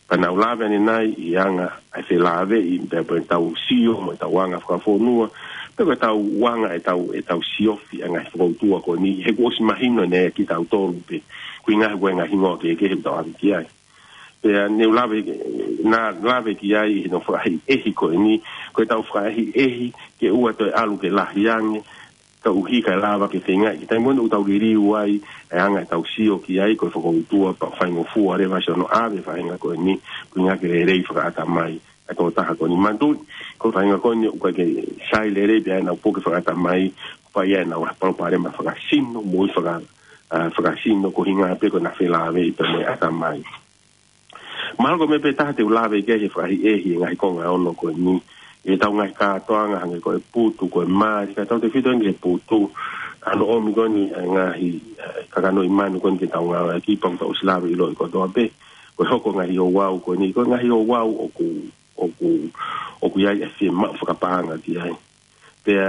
Pea naʻa ku lave ʻanenai ʻi he anga ʻa e felāveʻi, pea, pea ʻetau sio mo ʻetau anga fakafonua, pea ko ʻetau anga ʻetau, ʻetau siofi ʻa e ngaahi fokoutua ko eni, he kuo ʻosi mahino ʻanenai kiate kitautolu pē, ko e ʻuhinga he ko e ngaahi hingoa kehekehe ʻoku tau ʻave ki ai. Pea ne u lave, naʻa ku lave ki ai ʻi hono fakaʻehiʻehi ko eni, ko ʻetau fakaʻehiʻehi ke ʻoua toe ʻalu ke lahi ange, ka ʻuhi kae lava ke feinga, ki he taimi ko eni ʻoku tau liliu ai, ʻa e anga ʻetau sio ki ai, ko e fokoutua, pea faingofua leva siʻono ʻave e faʻahinga ko eni, ko e ʻuhinga ke lelei fakaʻatamai ʻa e tokotaha ko eni. Manatuʻi, ko e faʻahinga ko eni ʻoku ʻikai ke sai lelei pē ʻenau puke fakaʻatamai, pea ʻi ai ʻenau palopalema fakasino, moʻui faka-, ʻa, fakasino ko e ʻuhinga pē ko ʻena felāveʻi pea mo e ʻatamai. Mahalo ko e meʻa pē taha te u lave ki ai he fakaʻehiʻehi e ngaahi konga ʻe ono ko eni. ʻI heʻetau ngaahi kātoanga hangē ko e putu, ko e mali, kae tautautefito eni ki he putu. ʻA hono ʻomi ko eni e ngaahi, ē, kakanoʻi manu ko eni ke tau ngāueʻaki pea ʻoku tau ʻosi lave ʻiloʻi kotoa pē. Ko e hoko e ngaahi ouau ko eni, ko e ngaahi ouau ʻoku, ʻoku, ʻoku ʻi ai e fiemaʻu fakapaʻanga ki ai. Pea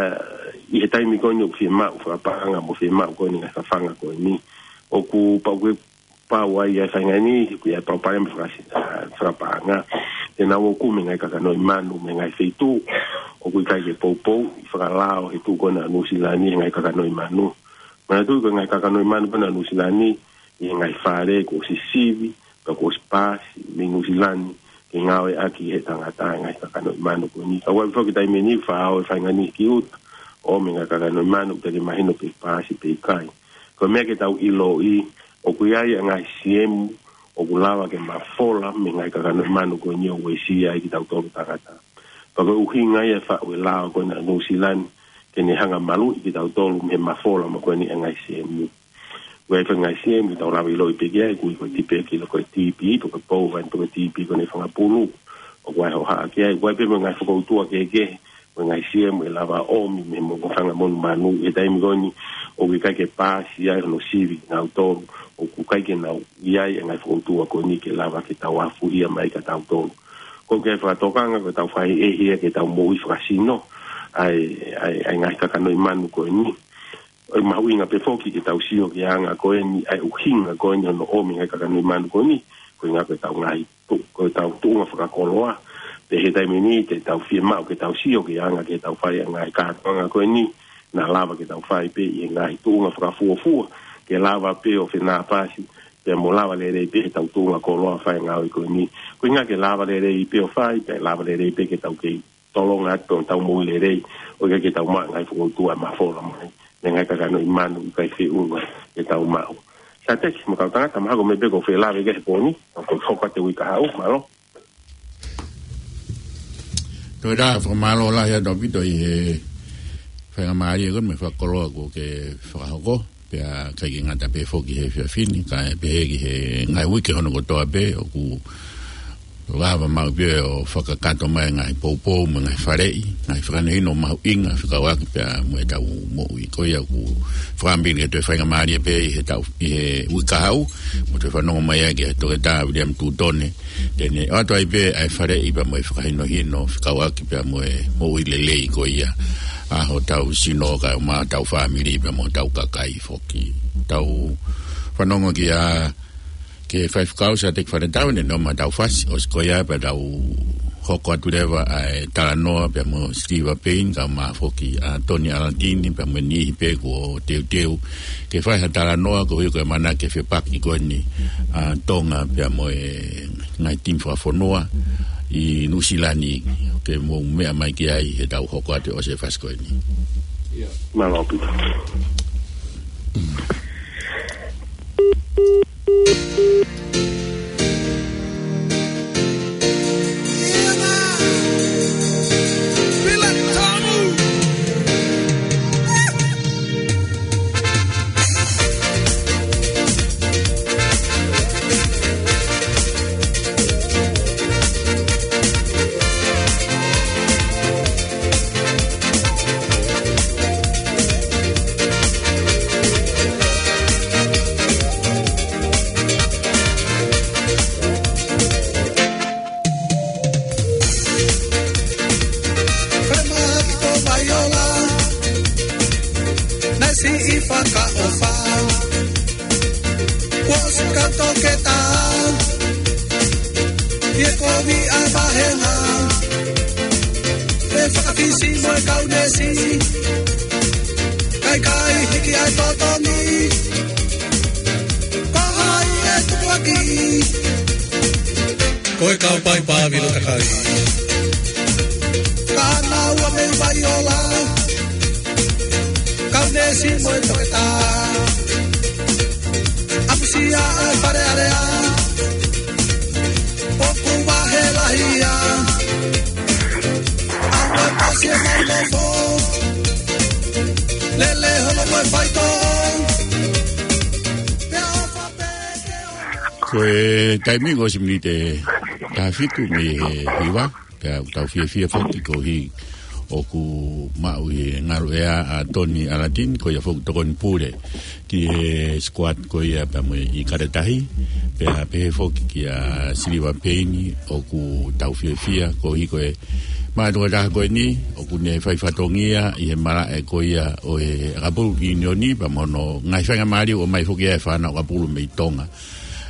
ʻi he taimi ko eni ʻoku fiemaʻu fakapaʻanga mo fiemaʻu ko eni ngaahi fafanga ko eni. ʻOku pau ke pau ai ʻa e faʻahinga ni, ʻoku ʻi ai e palopalema fakasi-, ʻa, fakapaʻanga. Te nau ō ʻo kumi e ngaahi kakanoʻi manu mei he ngaahi feituʻu ʻoku ʻikai ke poupouʻi fakalao he tuʻu ko ena ʻa Nuʻusila ni e ngaahi kakanoʻi manu. Manatuʻi ko e ngaahi kakanoʻi manu ko ena ʻa Nuʻusila ni, ʻi he ngaahi fale kuo ʻosi sivi, pea kuo ʻosi paasi mei Nuʻusila ni, ke ngāueʻaki ʻe he tangata e ngaahi kakanoʻi manu ko eni. Ka ʻoku ʻi ai foki e taimi ni ʻoku faʻa ō e faʻahinga ni ki ʻuta, ʻo ʻomi e ngaahi kakanoʻi manu, ʻoku teʻeki ke mahino pe paasi pe ʻikai. Ko e meʻa ke tau ʻiloʻi, ʻoku ʻi ai e ngaahi siemu ʻoku lava ke mafola mei he ngaahi kakanoʻi manu ko eni ʻo uesia ai kitautolu tangata. Pea ko e ʻuhinga ia e faʻu e lao ko ena ʻa Nuʻusila ni, ke ne hanga ʻo maluʻi kitautolu mei he mafola mo e ko eni e ngaahi siemu. ʻOku ʻi ai e faʻahinga siemu ʻoku tau lava ʻo ʻiloʻi pē ki ai, ʻoku ui ko e tipeki, ko e TB, pe ko e pou vine, pe ko e TB ko ena ʻa e fanga pulu. ʻOku ʻi ai e hohaʻa ki ai, ʻoku ʻi ai pē mo e ngaahi fokoutua kehekehe, mo e ngaahi siemu ʻe lava ʻo ʻomi mei he mo-, mo e fanga monumanu, ʻi he taimi ko eni ʻoku ʻikai ke paasi ai hono sivi kinautolu, ʻoku ʻikai ke nau ʻi ai e ngaahi fokoutua ko eni ke lava ke tau afuhia mai kitautolu. Ko e kiʻi fakatokanga ko ʻetau fakaʻehiʻehi ia ki heʻetau moʻui fakasino, ʻa e, ʻa e, ʻa e ngaahi kakanoʻi manu ko eni. ʻOku mahuʻinga pē foki ke tau sio ki he anga ko eni, ʻa e ʻuhinga ko eni hono ʻomi e ngaahi kakanoʻi manu ko eni, ko e ʻuhinga ko ʻetau ngaahi tu-, ko ʻetau tuʻunga fakakoloa. Pea ʻi he taimi ni te tau fiemaʻu ke tau sio ki he anga ke tau fai e ngaahi kātoanga ko eni, naʻa lava ke tau fai pē ʻi he ngaahi tuʻunga fakafuofua, ke lava pē ʻo fenāpasi, pea mo lava lelei pē heʻetau tuʻunga koloa fai e ngāue ko eni. Ko e ʻuhinga ke lava lelei pē ʻo fai, pea lava lelei pē ke tau kei tolonga atu ʻetau moʻui lelei, ʻo ʻikai ke tau maʻu e ngaahi fokoutua ʻe mafola mai mei he ngaahi kakanoʻi manu ʻoku ʻikai feʻunga ke tau maʻu. Sateki mo e kau tangata, mahalo ko e meʻa pē ʻoku ou fie lave ki ai he pō ni, ʻoku ou hoko atu he uike kahaʻu, mālō. Toe ʻa e fakamālō lahi atu ʻaupito ʻi he faingamālie ko eni mo e fakakoloa kuo ke fakahoko. Pea ʻikai ke ngata pē foki he efiafi ni, kae pehē ki he ngaahi uike hono kotoa pē, ʻoku lava maʻu pē ʻo fakakakato mai e ngaahi poupou mo e ngaahi faleʻi, ngaahi fakahinohino mahuʻinga fekauʻaki pea mo ʻetau moʻui. Ko ia ʻoku ou fakaʻamu pē ke toe faingamālie pē ʻi heʻetau, ʻi he uike kahaʻu, mo toe fanongo mai ai ki he Toketā Viliami Tutone, te ne ʻoatu ai pē ʻa e faleʻi pea mo e fakahinohino fekauʻaki pea mo e moʻui lelei ko ia ʻa hotau sino kae ʻumaʻā hotau fāmili pea mo hotau kakai foki. Tau fanongo ki he, ki he faifekau Sateki Fanetau, ne nofo maʻa hotau fasi, ʻosi ko ia pea tau hoko atu leva ʻa e talanoa pea mo Sitiva Peini kae ʻumaʻā foki ʻa Toni ʻAlatini pea mo e niʻihi pē kuo teuteu ke fai ha talanoa koeʻuhi ko e ʻamanaki ke fepaki ko eni ʻa Tonga pea mo e ngaahi timi fakafonua ʻi Nuʻusila ni, ke mou meʻa mai ki ai heʻetau hoko atu ʻo e fasi ko eni. Mālō ʻaupito. Fale Mahaki ko Vaiola, naʻe siʻi fakaʻofa. Kuo ʻosi kau toketā, ʻi he kovi ʻa e vāhenga, ʻe fakafisi mo e kau neesi, kae ʻikai hiki ʻa e totongi. Ko hai ʻe tukuakiʻi? Ko e kau paipa vilo kakai. Ka naʻa ua mei Vaiola, kau neesi mo e toketā. ʻApusia ʻa e Fale Alea, ʻoku vahe lahi ia. ʻAua e pasi e mau nofo, lele holo mo e faitoʻo. Ko e taimi ko e ʻosi miniti ʻe taha fitu mei he hiva, pea ʻoku tau fiefia foki koeʻuhi ʻoku maʻu ʻi he ngaluʻea ʻa Toni ʻAlatini, ko ia foki tokoni pule ki he squad ko ia pea mo e ʻIkale Tahi, pea pehē foki kia Siliva Peini, ʻoku tau fiefia koeʻuhi ko e mātuʻa taha ko eni, ʻoku ne fai fatongia ʻi he malaʻe ko ia ʻo e ʻakapulu ʻiunioni, pea mo hono ngaahi faingamālie ʻoku ʻomai foki ʻe he fānau ʻakapulu mei Tonga.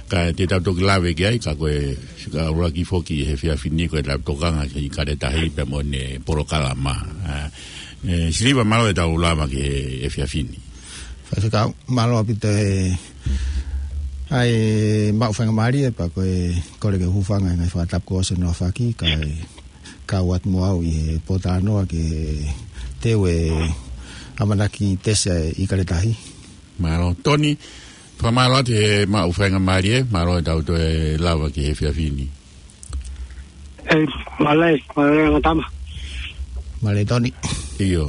Ka te tau toki lave ki ai, ka ko e fika ʻuluaki foki he efiafi ni ko e tau tokanga ki he ʻIkale Tahi pea mo ʻene polokalama. ʻA, ʻe, Siliva, mālō e tau lava ki he efiafi ni. Faifekau, mālō ʻaupito e, ʻa e maʻu faingamālie pea ko e kole ke u hūfanga he ngaahi fakatapu kuo ʻosi hono aofaki, kae kau atu mo au ʻi he pōtalanoa ke teu e ʻamanaki tesi ʻa e ʻIkale Tahi. Mālō. Toni, fakamālō atu he maʻu faingamālie, mālō e tau toe lava ki he efiafi ni. ʻE, mālō, mālō angatama. Mālō Toni. ʻIo.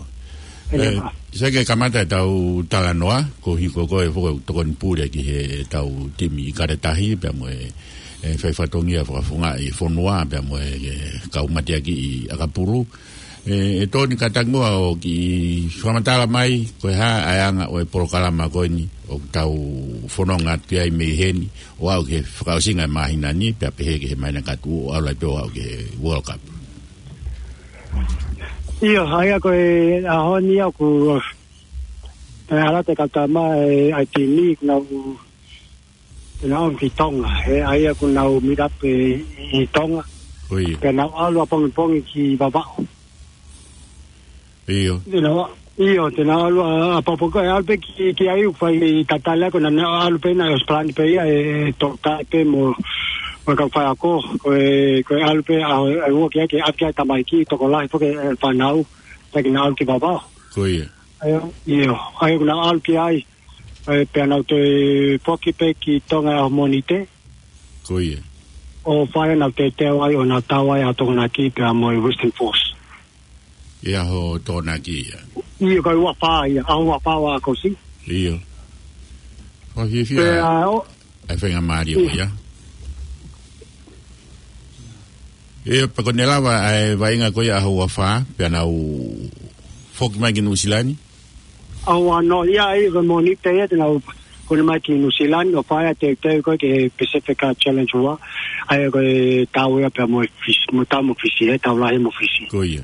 ʻE, ʻe, sai ke kamata e tau talanoa, koeʻuhi ko koe foki ʻoku tokoni pule ki he tau timi ʻIkale Tahi, pea mo e, e fai fatongia fakafofongaʻi fonua, pea mo e, e kau mateakiʻi ʻakapulu. ʻE, ʻe Toni, kātaki muʻa ʻo kiʻi fakamatala mai, ko e hā ʻa e anga ʻo e polokalama ko eni, ʻoku tau fononga atu ki ai mei heni, ʻo aʻu ki he fakaʻosinga e māhina ni, pea pehē ki he māhina ka tuʻu, ʻo aʻu lahi pē ʻo aʻu ki he World Cup. ʻIo, ʻa ia ko e ʻaho ni ʻoku, ʻe, ʻalu atu e kau tama, ʻe, ʻa e timi, nau te nau ō ki Tonga, he ʻa ia ʻoku nau meet up ʻi, ʻi Tonga. Ko ia. Te nau ʻalu ʻapongipongi ki Vavaʻu. ʻIo. Te nau, ʻio, te nau ʻalu ʻa, ʻapongipongi, ʻalu pē ki, ki ai ʻoku fai tatali ko ē, naʻa nau ʻalu pē naʻe ʻosi palani pē ia ʻe, ʻe Toketā pē mo, mo e kau faiako, ko e, ko e ʻalu pē ʻa, ʻa e ua ki ai ke ʻave ki ai tamaiki, tokolahi foki e fānau, te nau ʻalu ki Vavaʻu. Ko ia. ʻA ia, ʻio, ʻa ia ʻoku nau ʻalu ki ai, ʻe, pea nau toe foki pē ki Tonga ʻaho Mōnite. Ko ia. ʻO fai ʻenau teuteu ai, ʻo nau tau ai ʻa Tokonaki pea mo e Western Force. ʻI he ʻaho Tokonaki ia. ʻIo, ko e ua fā ia, ʻaho ua fā ʻo ʻAokosi. ʻIo. Fakafiefia. Pea, ʻo, ʻa e faingamālie ko ia. ʻIo, pea ko ʻene lava ʻa e vaʻinga ko ia ʻaho ua fā, pea nau foki mai ki Nuʻusila ni. ʻAho ua noa ia, ʻa ia ko e Mōnite ia te nau kune mai ki Nuʻusila ni, ʻo fai ʻa e teuteu ko ē ki he Pacific Challenge ua, ʻa ia ko e tau ia pea mo e Fisi, mo e tau mo Fisi, ʻe tau lahi mo Fisi. Ko ia.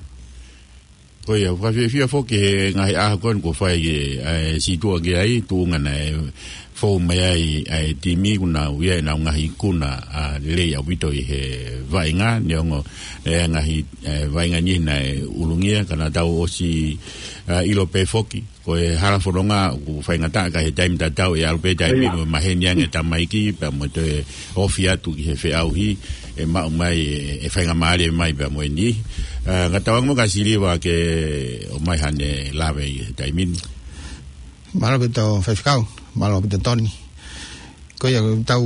Ko ia, fakafiefia foki he ngaahi ʻaho ko eni kuo fai e, ʻa e sītuʻa ki ai, tuʻunga naʻe fou mai ai ʻa e timi, ʻoku nau ʻi ai ʻenau ngaahi ikuna, ʻa, lelei ʻaupito ʻi he vaʻinga, neongo e ngaahi, ʻe, vaʻinga ni naʻe ʻulungia, ka naʻa tau ʻosi, ʻa, ʻilo pē foki ko e hala fononga ʻoku faingataʻa ka he taimi tatau ʻe ʻalu pē taimi ʻIo. mo maheni ange tamaiki, pea mo toe ofi atu ki he feʻauhi, ʻe maʻu mai, ʻe, ʻe faingamālie mai pea mo e niʻihi. ʻA, ka tau anga mo ka Siliva ke ʻomai haʻane lave ʻi he taimi ni. Mālō ʻaupito Faifekau, mālō ʻaupito Toni. Ko ia, tau,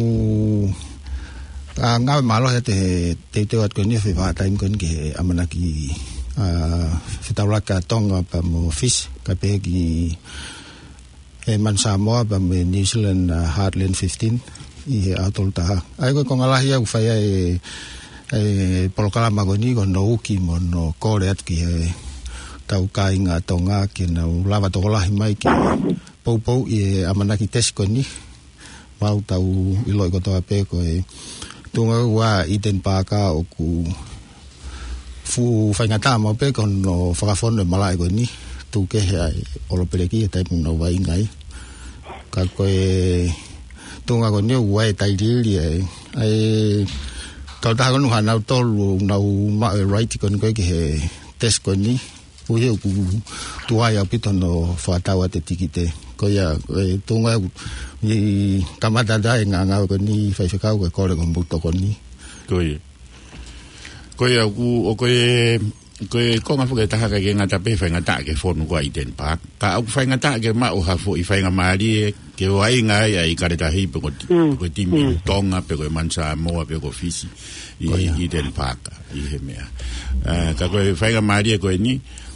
ʻa, ngāue mālohi atu he teuteu atu ko eni he fai vahaʻataimi ko eni ki he ʻamanaki, ʻa, fetaulaki ʻa Tonga pea mo Fisi, kae pehē ki he Manu Samoa pea mo e New Zealand, ʻa, Heartland fifteen ʻi he ʻaho tolu taha. ʻA ia ko e konga lahi ʻoku fai ai e, e polokalama ko eni ko hono uki mo hono kole atu ki he tau kāinga Tonga ke nau lava tokolahi mai ke poupouʻi e ʻamanaki tesi ko eni. Mau tau ʻiloʻi kotoa pē ko e tuʻunga ʻa Eden Park ʻoku fuʻu faingataʻa maʻu pē ko hono fakafonu e malaʻe ko eni, tuku kehe ʻa e ʻolopeleki he taimi ʻoku nau vaʻinga ai. Ka ko e tuʻunga ko eni ʻoku ʻi ai e tailiili ʻa e, ʻa e kautaha ko eni ʻoku ʻi ai ʻenau tolu ʻoku nau maʻu e right ko eni ko ē ki he tesi ko eni. Koeʻuhi ʻoku tuai ʻaupito hono fakatau atu e tikite. Ko ia, ko e tuʻunga ʻoku kamata atu ai e ngāue ko eni Faifekau, ko e kole ko homou tokoni. Ko ia. Ko ia, ʻoku, ʻo ko e, ko e konga foki ʻe taha ka ke ngata pē faingataʻa ke fonu ko ē ʻa Eden Park. Ka ʻoku faingataʻa ke maʻu ha foʻi faingamālie ke vaʻinga ai ʻa e ʻIkale Tahi pe ko ti-, Mm. pe ko e timi Mm. Tonga, pe ko e Manu Samoa, pe ko Fisi. ʻI, Ko ia. ʻi Eden Park, ʻi he meʻa. ʻA, ka ko e faingamālie ko eni,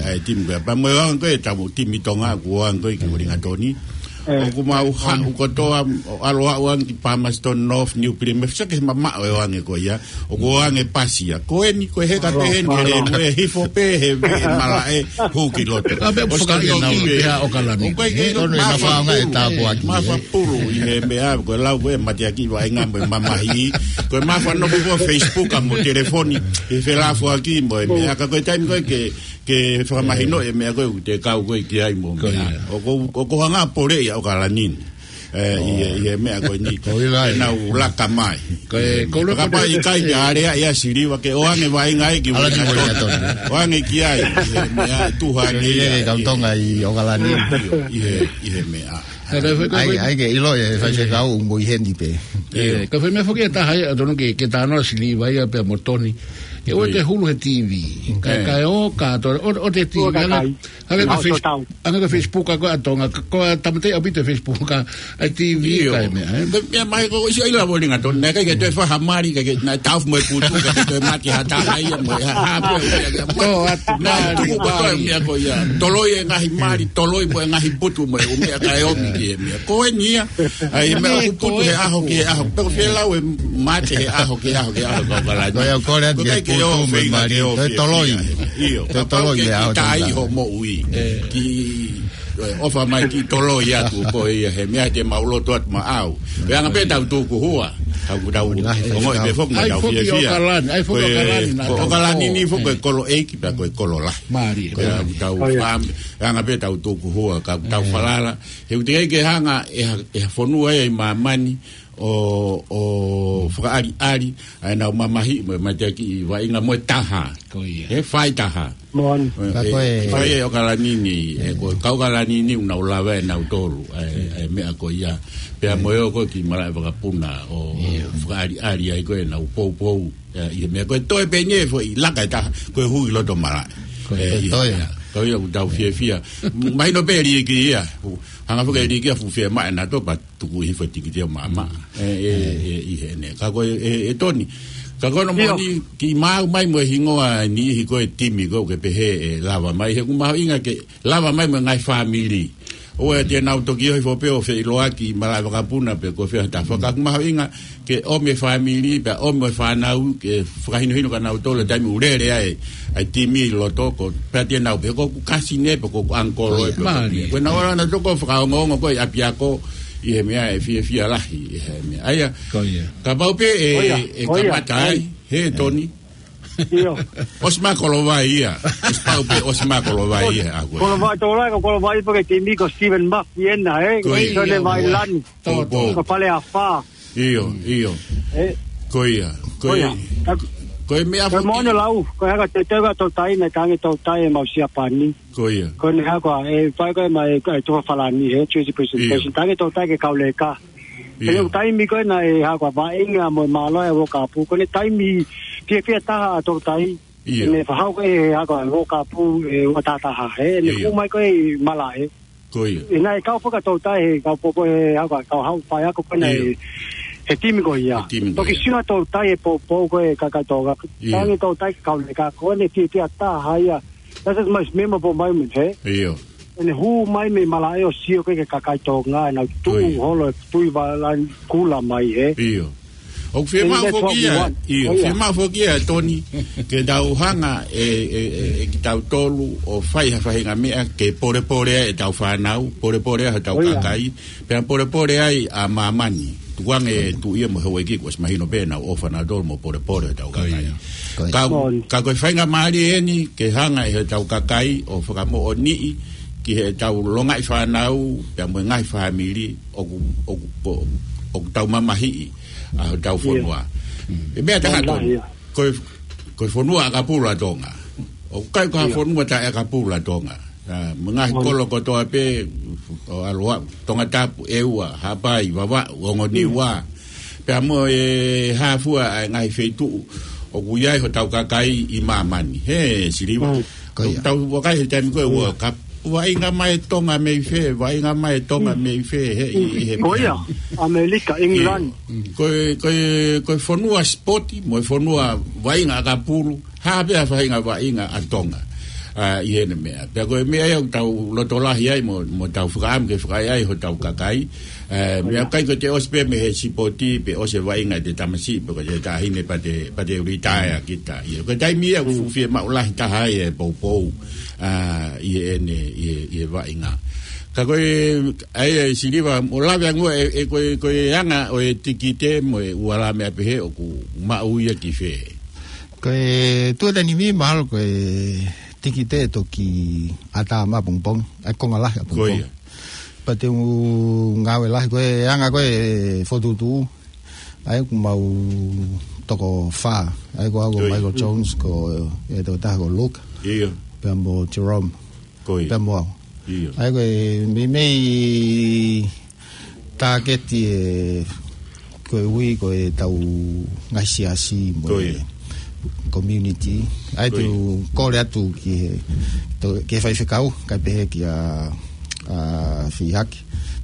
ʻa e timi ko ia. Pea mo e ʻoange ko ē ʻetau timi Tonga, ʻoku ʻoange ko ē ki Uelingatoni. ʻOku mau haʻu kotoa, ʻo ʻalu ʻo ʻoange ki Palmerston North, New Plymouth, sio ki he mamaʻo e ʻoange ko ia, ʻoku ʻoange pasi ia. Ko eni, ko e heka pē heni, ke lenu e hifo pē, he veʻe malaʻe, hū ki loto. ʻA pē ʻoku fakaʻinau pē ʻa ʻOkalani. ʻOku ʻikai ke ʻi ai ha faʻahinga e tāpuaki. Mafaʻi pulu ʻi he meʻa, ko e lau ko e mateaki vaʻinga mo e mamahi. Ko e mafaʻi noku ko Facebook mo telefoni, he felafoaki mo e meʻa, ka ko e taimi ko ē ke ke fakamahino e meʻa ko ē ʻoku te kau ko ē ki ai mo meʻa. ʻOku, ʻoku hanga ʻo poleʻi ʻa ʻOkalani. ʻE, ʻi he, ʻi he meʻa ko eni. Ko ia. ʻE nau laka mai. Ko e, ko e kapau ʻe ʻikai ke alea ia Siliva ke ʻoange vaʻinga ia ki Uelingatoni. ʻOange ki ai. ʻI he meʻa tuha nei ia. Kau Tonga ʻi ʻOkalani. ʻI he, ʻi he meʻa. Ka, ka, ka, ʻAi, ka, ʻai ke ʻilo e fai se kau mo i heni pē. ʻE, ka fai meʻa foki ʻe taha ia, tonu ke, ke tānaki Siliva ia pea mo Toni. Ke ʻoua te hulu he T V. Ka, ka e ō, ka to, ʻo, ʻo te T V, ʻOua ka anga, kai. anga ka Nau Face-, sotau. anga ka Facebook, ka ko ʻa Tonga, ka, ko e tamateʻi ʻaupito Facebook, ka, ʻa T V, ʻIo. ka e meʻa, ē. Ka meʻa mai ko isi ʻilo ʻa Volinga Toni, naʻe ʻikai ke toe fai ha mali, ka ke, naʻe taʻofi mo e putu, ka ke toe mate ha taha ia mo e ha, ha, mo e, mo e, mo e, Ko atu, naʻe mali, tuku ko toe mali. meʻa ko ia. Toloi e ngaahi mali, toloi mo e ngaahi putu mo e ʻū meʻa ka e omi ki he meʻa. Ko eni ia, ʻa e meʻa ʻOku ʻoku putu ko he e ʻaho ki he ʻaho. Pea ko fē lau e mate he ʻaho ki he ʻaho ki he ʻaho, kau kalani. Ko ia, ko le atu Ko e ke ke putu ʻo mo e fie mali, fia ko e toloi. ia. ʻIo, Ko e kapau toloi ke ia, ki ʻo tā toloi. iho moʻui. Ki, ʻofa mai ki toloi atu ko ia he meʻa te mau loto atu maʻau. Pea anga pē tau tuku hua. Tau, tau, Ko e ngaahi ongoʻi pē foki ʻAi tau foki fie fia. ʻOkalani, ʻai foki Ko e, ʻOkalani, na ko tau ʻOkalani ko. ni foki ko e kolo ʻeiki pea ko e kolo lahi. Mali, Pea ko. tau Ko ia. fam-, anga pē tau tuku hua, ka tau falala. He ʻoku teʻeki ke hanga ʻe ha, ʻe ha fonua ia ʻi māmani ʻo, ʻo fakaʻaliʻali ʻa ʻenau mamahiʻi mo e mateakiʻi vaʻinga mo e taha. Ko ia. He fai taha. Moan. Ka ʻE, ko e ʻe fai ʻe ʻOkalani ni, ʻe ko e kau ʻOkalani ni ʻoku nau lava ʻe nautolu, ʻa e, ʻa e meʻa ko ia. Pea mo e ō ko ē ki malaʻe vakapuna ʻo, ʻo fakaʻaliʻali ai ko ē ʻenau poupou. ʻE, ʻi he meʻa ko e toe pē ʻeni foʻi laka ʻe taha, ko e hui loto malaʻe. Ko e ʻE, ʻi he toe. meʻa. Ko ia ʻoku tau fiefia. Mahino pē liʻiki ia. Hanga foki e liʻiki ia fuʻu fiemaʻu ʻe nautolu pea tuku hifo e tikite ʻo maʻamaʻa. ʻE, ʻe, ʻe, ʻi heʻene. Ka ko e, ʻe, ʻe Toni. Ka ko hono moʻoni kiʻi maau mai mo e hingoa e niʻihi ko e timi ko ē ʻoku ke pehē ʻe lava mai. He ʻoku mahuʻinga ke lava mai mo e ngaahi fāmili. ʻOua te nau toki ʻohifo pē ʻo feʻiloaki ʻi malaʻe vakapuna pe ko fē ha taha. Ka ʻoku mahuʻinga ke ʻomi e fāmili, pea ʻomi e fānau, ke fakahinohino kia nautolu e taimi ʻoku lele ai ʻa e timi ʻi loto ko, pea te nau pehē ko ʻeku kasine pe ko ʻeku ʻangikolo ʻe pe ko Mali. Ko ʻenau ō nautolu ko e fakaongoongo ko ē ʻi ʻapiako ʻi he meʻa ʻe fiefia lahi ʻi he meʻa. ʻA ia, Ko ia. kapau pē ʻe, Ko ia, ʻe ko ia, kamata ko ai, ia. he Toni. ʻIo. ʻOsi mai Kolovai ia. ʻOsi pau pē, ʻosi mai Kolovai ia, ʻa ko e. Kolovai tō lai, ko Kolovai pē ke timi ko Stephen Murphy ena, ē? Ko ia. Sone Vailani. Tō, tō. Ko Pale Afā. ʻIo, ʻio. ʻE. Ko ia, ko Ko ia. ia. Ka, ko e meʻa ka foki. mono lau, ko e haka te teu ka tau tai, na kange tau tai e mau Siapani. Ko ia. Ko ʻene haka, ʻe fai ko e mai, ʻe tufa falani, he, Jersey Presentation. ʻIo. Kange tau tai ke kau leka. ʻIo. ʻE taimi ko ē naʻe haka vaʻinga mo e mālohi ʻa e World Cup. Ko ʻene taimi fiefia taha ʻa tau tai. ʻIo. ʻEne fahau ko ē haka World Cup, ʻe ua taha taha, he. ʻEne ʻIo. hū mai ko ē ʻi malaʻe. Ko ia. ʻE naʻe kau fakatou tai he kau popo he haka kau hau fai ako ko ena ʻIo. he, he timi ko ia. He timi ko Toki ia. sino tou tai he popo ko e kakai Tonga. ʻIo. Tangi tou tai ke kau leka ko ʻene fiefia taha ia. That's the most memorable moment, he? ʻIo. ʻEne hū mai mei malaʻe ʻo sio ko ē ki he kakai Tonga, ʻenau tuʻu ʻIo. holo e tui valani kula mai, he? ʻIo. ʻOku fiemaʻu And that's what foki we ia, want. ʻio, ʻIo. fiemaʻu foki ia, Toni, ke tau hanga ʻe, ʻe, ʻe, ʻe kitautolu ʻo fai ha faʻahinga meʻa ke polepole ai ʻetau fānau, polepole ai hotau ʻIo. kakai, pea polepole ai ʻa māmani. Tukuange e tuʻi ia mo e houʻeiki kuo ʻosi mahino pē ʻenau ʻofa nautolu mo polepole hotau Ko ia. kakai. Ko ia. Ka, Moʻoni. ka ko e faingamālie eni ke hanga ʻe hotau kakai ʻo fakamoʻoniʻi ki heʻetau longaʻi fānau, pea mo e ngaahi fāmili, ʻoku, ʻoku, ʻoku, ʻoku tau mamahiʻi ʻa hotau ʻIo. fonua. Mm. ʻE meʻa taha Moʻoni, Toni. ʻIo. Ko e, ko e fonua ʻakapulu ʻa Tonga. ʻOku ʻikai ko ha ʻIo. fonua taʻeʻakapulu ʻa Tonga. ʻA, mo e ngaahi Moʻoni. kolo kotoa pē, ʻo ʻalu ʻa Tongatapu, ʻEua, Haʻapai, Vavaʻu, Ongo Niua. Mm. Pea mo e hā fua ʻa e ngaahi feituʻu ʻoku ʻi ai hotau kakai ʻi māmani. He, Siliva. Mm. Ko ia. Tau vakai he taimi ko ē ʻIo. World Cup. Vaʻinga mai Tonga mei fē, vaʻinga mai Tonga Mm. mei fē, he, ʻi, ʻi he Ko ia, ʻAmelika, England. ʻIo. Ko e, ko e, ko e fonua sipoti, mo e fonua vaʻinga ʻakapulu, hā pē ha faʻahinga vaʻinga ʻa Tonga. ʻA, ʻi heʻene meʻa. Pea ko e meʻa ia ʻoku tau loto lahi ai mo, mo tau fakaʻamu ke fakaʻaiʻai hotau kakai. ʻE, meʻa ʻikai ko ʻete ʻosi pē mei he sipoti, pe ʻosi e vaʻinga ʻete tamasiʻi, pe ko ʻete taʻahine pea te, pea te retire kita. ʻIo, ko e taimi ia ʻoku Mm. fuʻu fiemaʻu lahi taha ai e poupou, ʻa, ʻi heʻene, ʻi he, ʻi he vaʻinga. Ka ko e, ʻa ia, Siliva, ʻo lave ange ʻe, ʻe ko e, ko e anga ʻo e tikite mo e ua lā meʻa pehē ʻoku maʻu ia ki fē? Ko e tuʻatāina ni mahalo ko e tikite toki ʻatā mai ʻapongipongi, ʻa e konga lahi ʻapongipongi. Ko ia. Pea te u ngāue lahi ko e anga ko e fokotuʻutuʻu. ʻA ia ʻoku mau toko fā. ʻA ia ko au ko Ko ia. Michael Jones, ko e tokotaha ko Luke. ʻIo. Pea mo Jerome. Ko ia. Pea mo au. ʻIo. ʻA ia ko e meimei Tāketi e koeʻuhi ko e tau ngaahi siasi mo e community. ʻAi te u kole atu ki he, ki he faifekau, kae pehē kia Fihaki.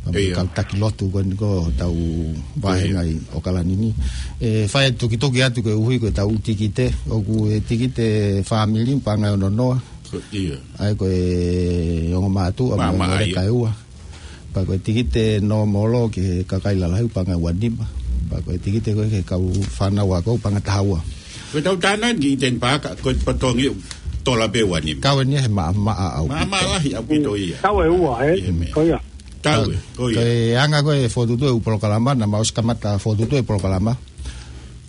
Pea mo e kau taki lotu ko eni ko tau vahenga ʻi ʻOkalani ni. ʻE fai tukituki atu koeʻuhi ko e tau tikite, ʻoku e tikite fāmili paʻanga ʻe ono noa. ʻAi ko e ongo mātuʻa mo e kae ua. Pea ko e tikite nōmolo ki he kakai lalahi paʻanga ua nima. Pea ko e tikite ko e ki he kau fānau ako paʻanga taha ua. Ko e tau tānaki ʻi Iten Pāka, ko e patongi tola pē ua nima. Kau eni he maʻamaʻa ʻaupito. Maʻamaʻa lahi ʻaupito ia. Tau ʻe ua, ē? Ko ia. Tau ʻe, ko ia. Ko e anga ko e fokotuʻutuʻu e polokalama, naʻa mau ʻosi kamata fokotuʻutuʻu e polokalama.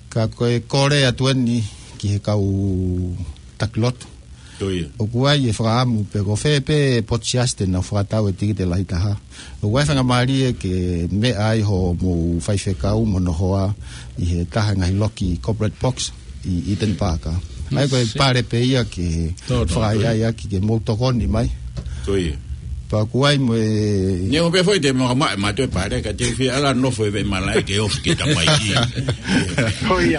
Ka ko e kole atu eni ki he kau taki lotu. ʻOku ʻi ai e fakaʻamu pe ko fē pē potu siasi te nau fakatau e tikite lahi taha. ʻOku ʻi ai e faingamālie ke meʻa ai hoʻomou faifekau mo hono hoa ʻi he taha e ngaahi loki corporate box ʻi Iten Pāka. ʻAi ko e pale pē ia ke fakaʻaiʻai ʻaki ke mou tokoni mai. Pea ʻoku ʻi ai mo e... Neongo pē foʻi te mau maʻe mātou e pale, ka te u fie ala nofo e veʻe malaʻe ke ofi ke tamaiki. Ko ia.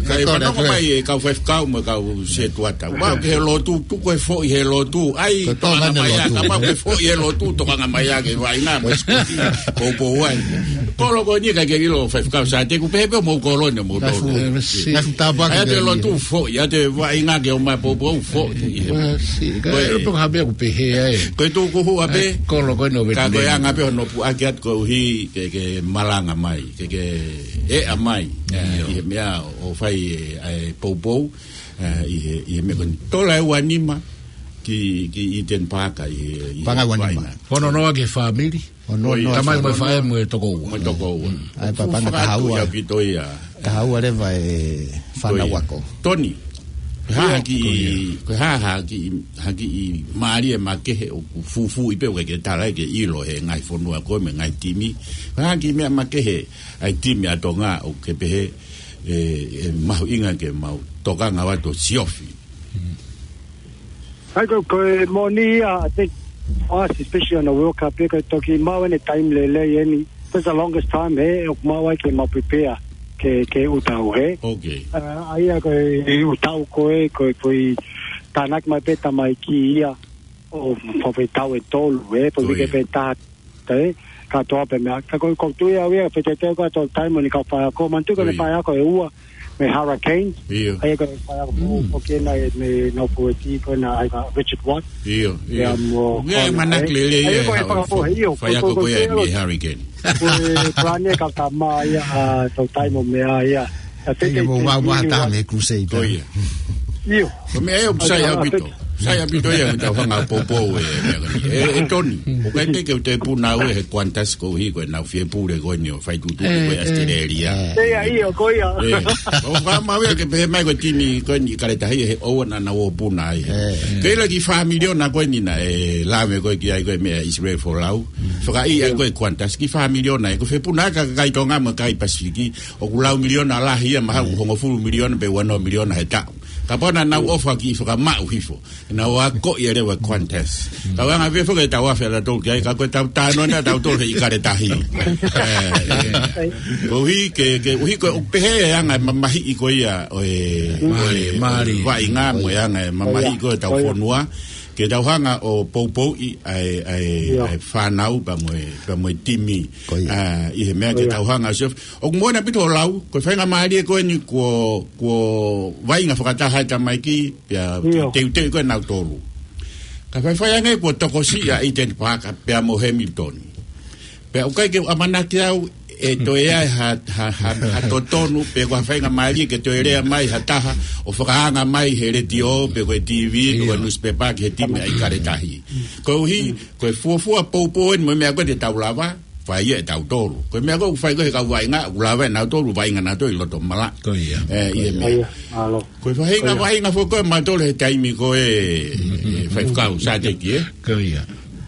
Kae fanongo mai e kau faifekau mo e kau setuata. Mau ke he lotu, tuku e foʻi he lotu. ʻAi, tokanga mai ā, ka mau ke foʻi he lotu, tokanga mai ā ke vaʻinga mo e sikuti. Poupou ai. Kolo ko eni ka ke ʻilo faifekau sa te ku pehē pē mo kolo ne mo tolo. ʻAi te lotu foʻi, ʻai te vaʻinga ke ʻomai poupou foʻi. Ko e tuku hua pē. Kolo ko eni ʻo Ka ko e anga pē hono puʻaki atu koeʻuhi ke, ke malanga mai, ke, ke eʻa mai. ʻI he meʻa ʻo fai e, ʻa e poupou, ʻi he, ʻi he meʻa ko eni. Tola ʻe ua nima ki, ki Iten Pāka ʻi he, ʻi he paʻanga ua nima. Ono noa ki he fāmili. Ono noa ki he fāmili. Tamai mo e faʻē mo e tokoua. Mo e tokoua. ʻAi paʻanga taha ua. Taha ua leva e fānau ako. Toni. Ko e hā ha kiʻi, ko e hā ha kiʻi, ha kiʻi mālie makehe ʻoku fufū ʻi pē ʻoku ke tala ke ʻilo he ngaahi fonua ko ē mo e ngaahi timi. Ko e hā ha kiʻi meʻa makehe ʻa e timi ʻa Tonga ʻoku ke pehē ʻe, ʻe mahuʻinga ke mau tokanga atu ʻo siofi. ʻAi ko, ko e moʻoni ia, I think, for us, especially on the World Cup, ko e toki mau ʻene taimi lelei eni. That's the longest time, he, ʻoku mau ai ke mau prepare ke, ke ʻū tau, he. ʻAi ia ko e ʻū tau ko ē, ko e, ko e tānaki mai pē tamaiki ia, ʻo fafai tau ʻe tolu, he, ko e uike pē taha, he, kātoa pē meʻa. Ka ko, ko tui au ia, fetete ko ʻetau taimi ni kau faiako, manatu ko ʻene faiako ʻe ua, mei Hurricanes. ʻAi ko e faiako ko, ko kena e, mei nau fueti, ko ena ʻai ka Richard Watt. ʻIo, ʻio. Ia mo Connor, manaki lelei ʻa e faiako ko ia mei Hurricane. Ko e palani e kau tama ia, ʻa, tau taimi mo meʻa ia. Ka te ke mau mau maha taha mei Crusader. Ko ia. ʻIo. Ko e meʻa ia ʻoku sai ʻaupito. Sai ʻaupito ia ʻetau hanga poupou e meʻa ko eni. ʻE, ʻe Toni, ʻoku ʻikai te ke u te puna au he Qantas koeʻuhi ko ʻenau fie pule ko eni ʻo fai tuʻutuʻu ko ʻAositelēlia. ʻIo, ko ia. ʻO ka mau ia ke pehē mai ko e timi ko eni ʻIkale Tahi he ʻoua naʻa nau ō puna ai. Ke ʻilo ki he fā miliona ko eni naʻe lave ko ē ki ai ko e meʻa ʻIsileli Folau. Fakaʻi ai ko e Qantas ki he fā miliona ē. Ko e fepuna ka kai Tonga mo kai Pasifiki. ʻOku lau miliona lahi ia mahalo ʻoku hongofulu miliona pe ua noa miliona he taʻu. Kapau naʻa nau ʻofa ki he fakamaʻu hifo. Naʻa nau akoʻi ʻa e leva Qantas. Kau anga pē foki ʻetau afe ʻatautolu ki ai, ka ko ʻetau talanoa ʻatautolu he ʻIkale Tahi. Koeʻuhi ke, ke, koeʻuhi ko e ʻoku pehē ʻa e anga e mamahiʻi ko ia ʻo e, ʻo e, ʻo e vaʻinga mo e anga e mamahiʻi ko ē ʻetau fonua. Ke tau hanga ʻo poupouʻi ʻa e, ʻa e, ʻa e fānau pea mo e, pea mo e timi. ʻI he meʻa ke tau hanga ʻo siofi. ʻOku moʻoni ʻaupito ʻo lau, ko e faingamālie ko eni kuo, kuo vaʻinga fakataha e tamaiki, pea teuteu ko ē nautolu. Ka faifai ange kuo tokosiʻi ʻa Iten Pāka, pea mo Hamilton. Pea ʻoku ʻikai ke u ʻamanaki au, ʻe toe ʻi ai ha, ha, ha, ha totonu, pe ko ha faingamālie ke toe lea mai ha taha, ʻo fakaanga mai he letiō, pe ko e T V, pe ko e newspaper, ki he timi ʻa ʻIkale Tahi. Koeʻuhi, ko e fuofua poupou eni mo e meʻa ko ē te tau lava, fai ia ʻe tautolu. Ko e meʻa ko ē ʻoku fai ko ē he kau vaʻinga, ʻoku lava ʻe nautolu, vaʻinga nautolu ʻi loto malaʻe. ʻI he meʻa. Ko e faʻahinga vaʻinga foki ko ē mautolu he taimi ko ē, ʻe faifekau Sateki, ē?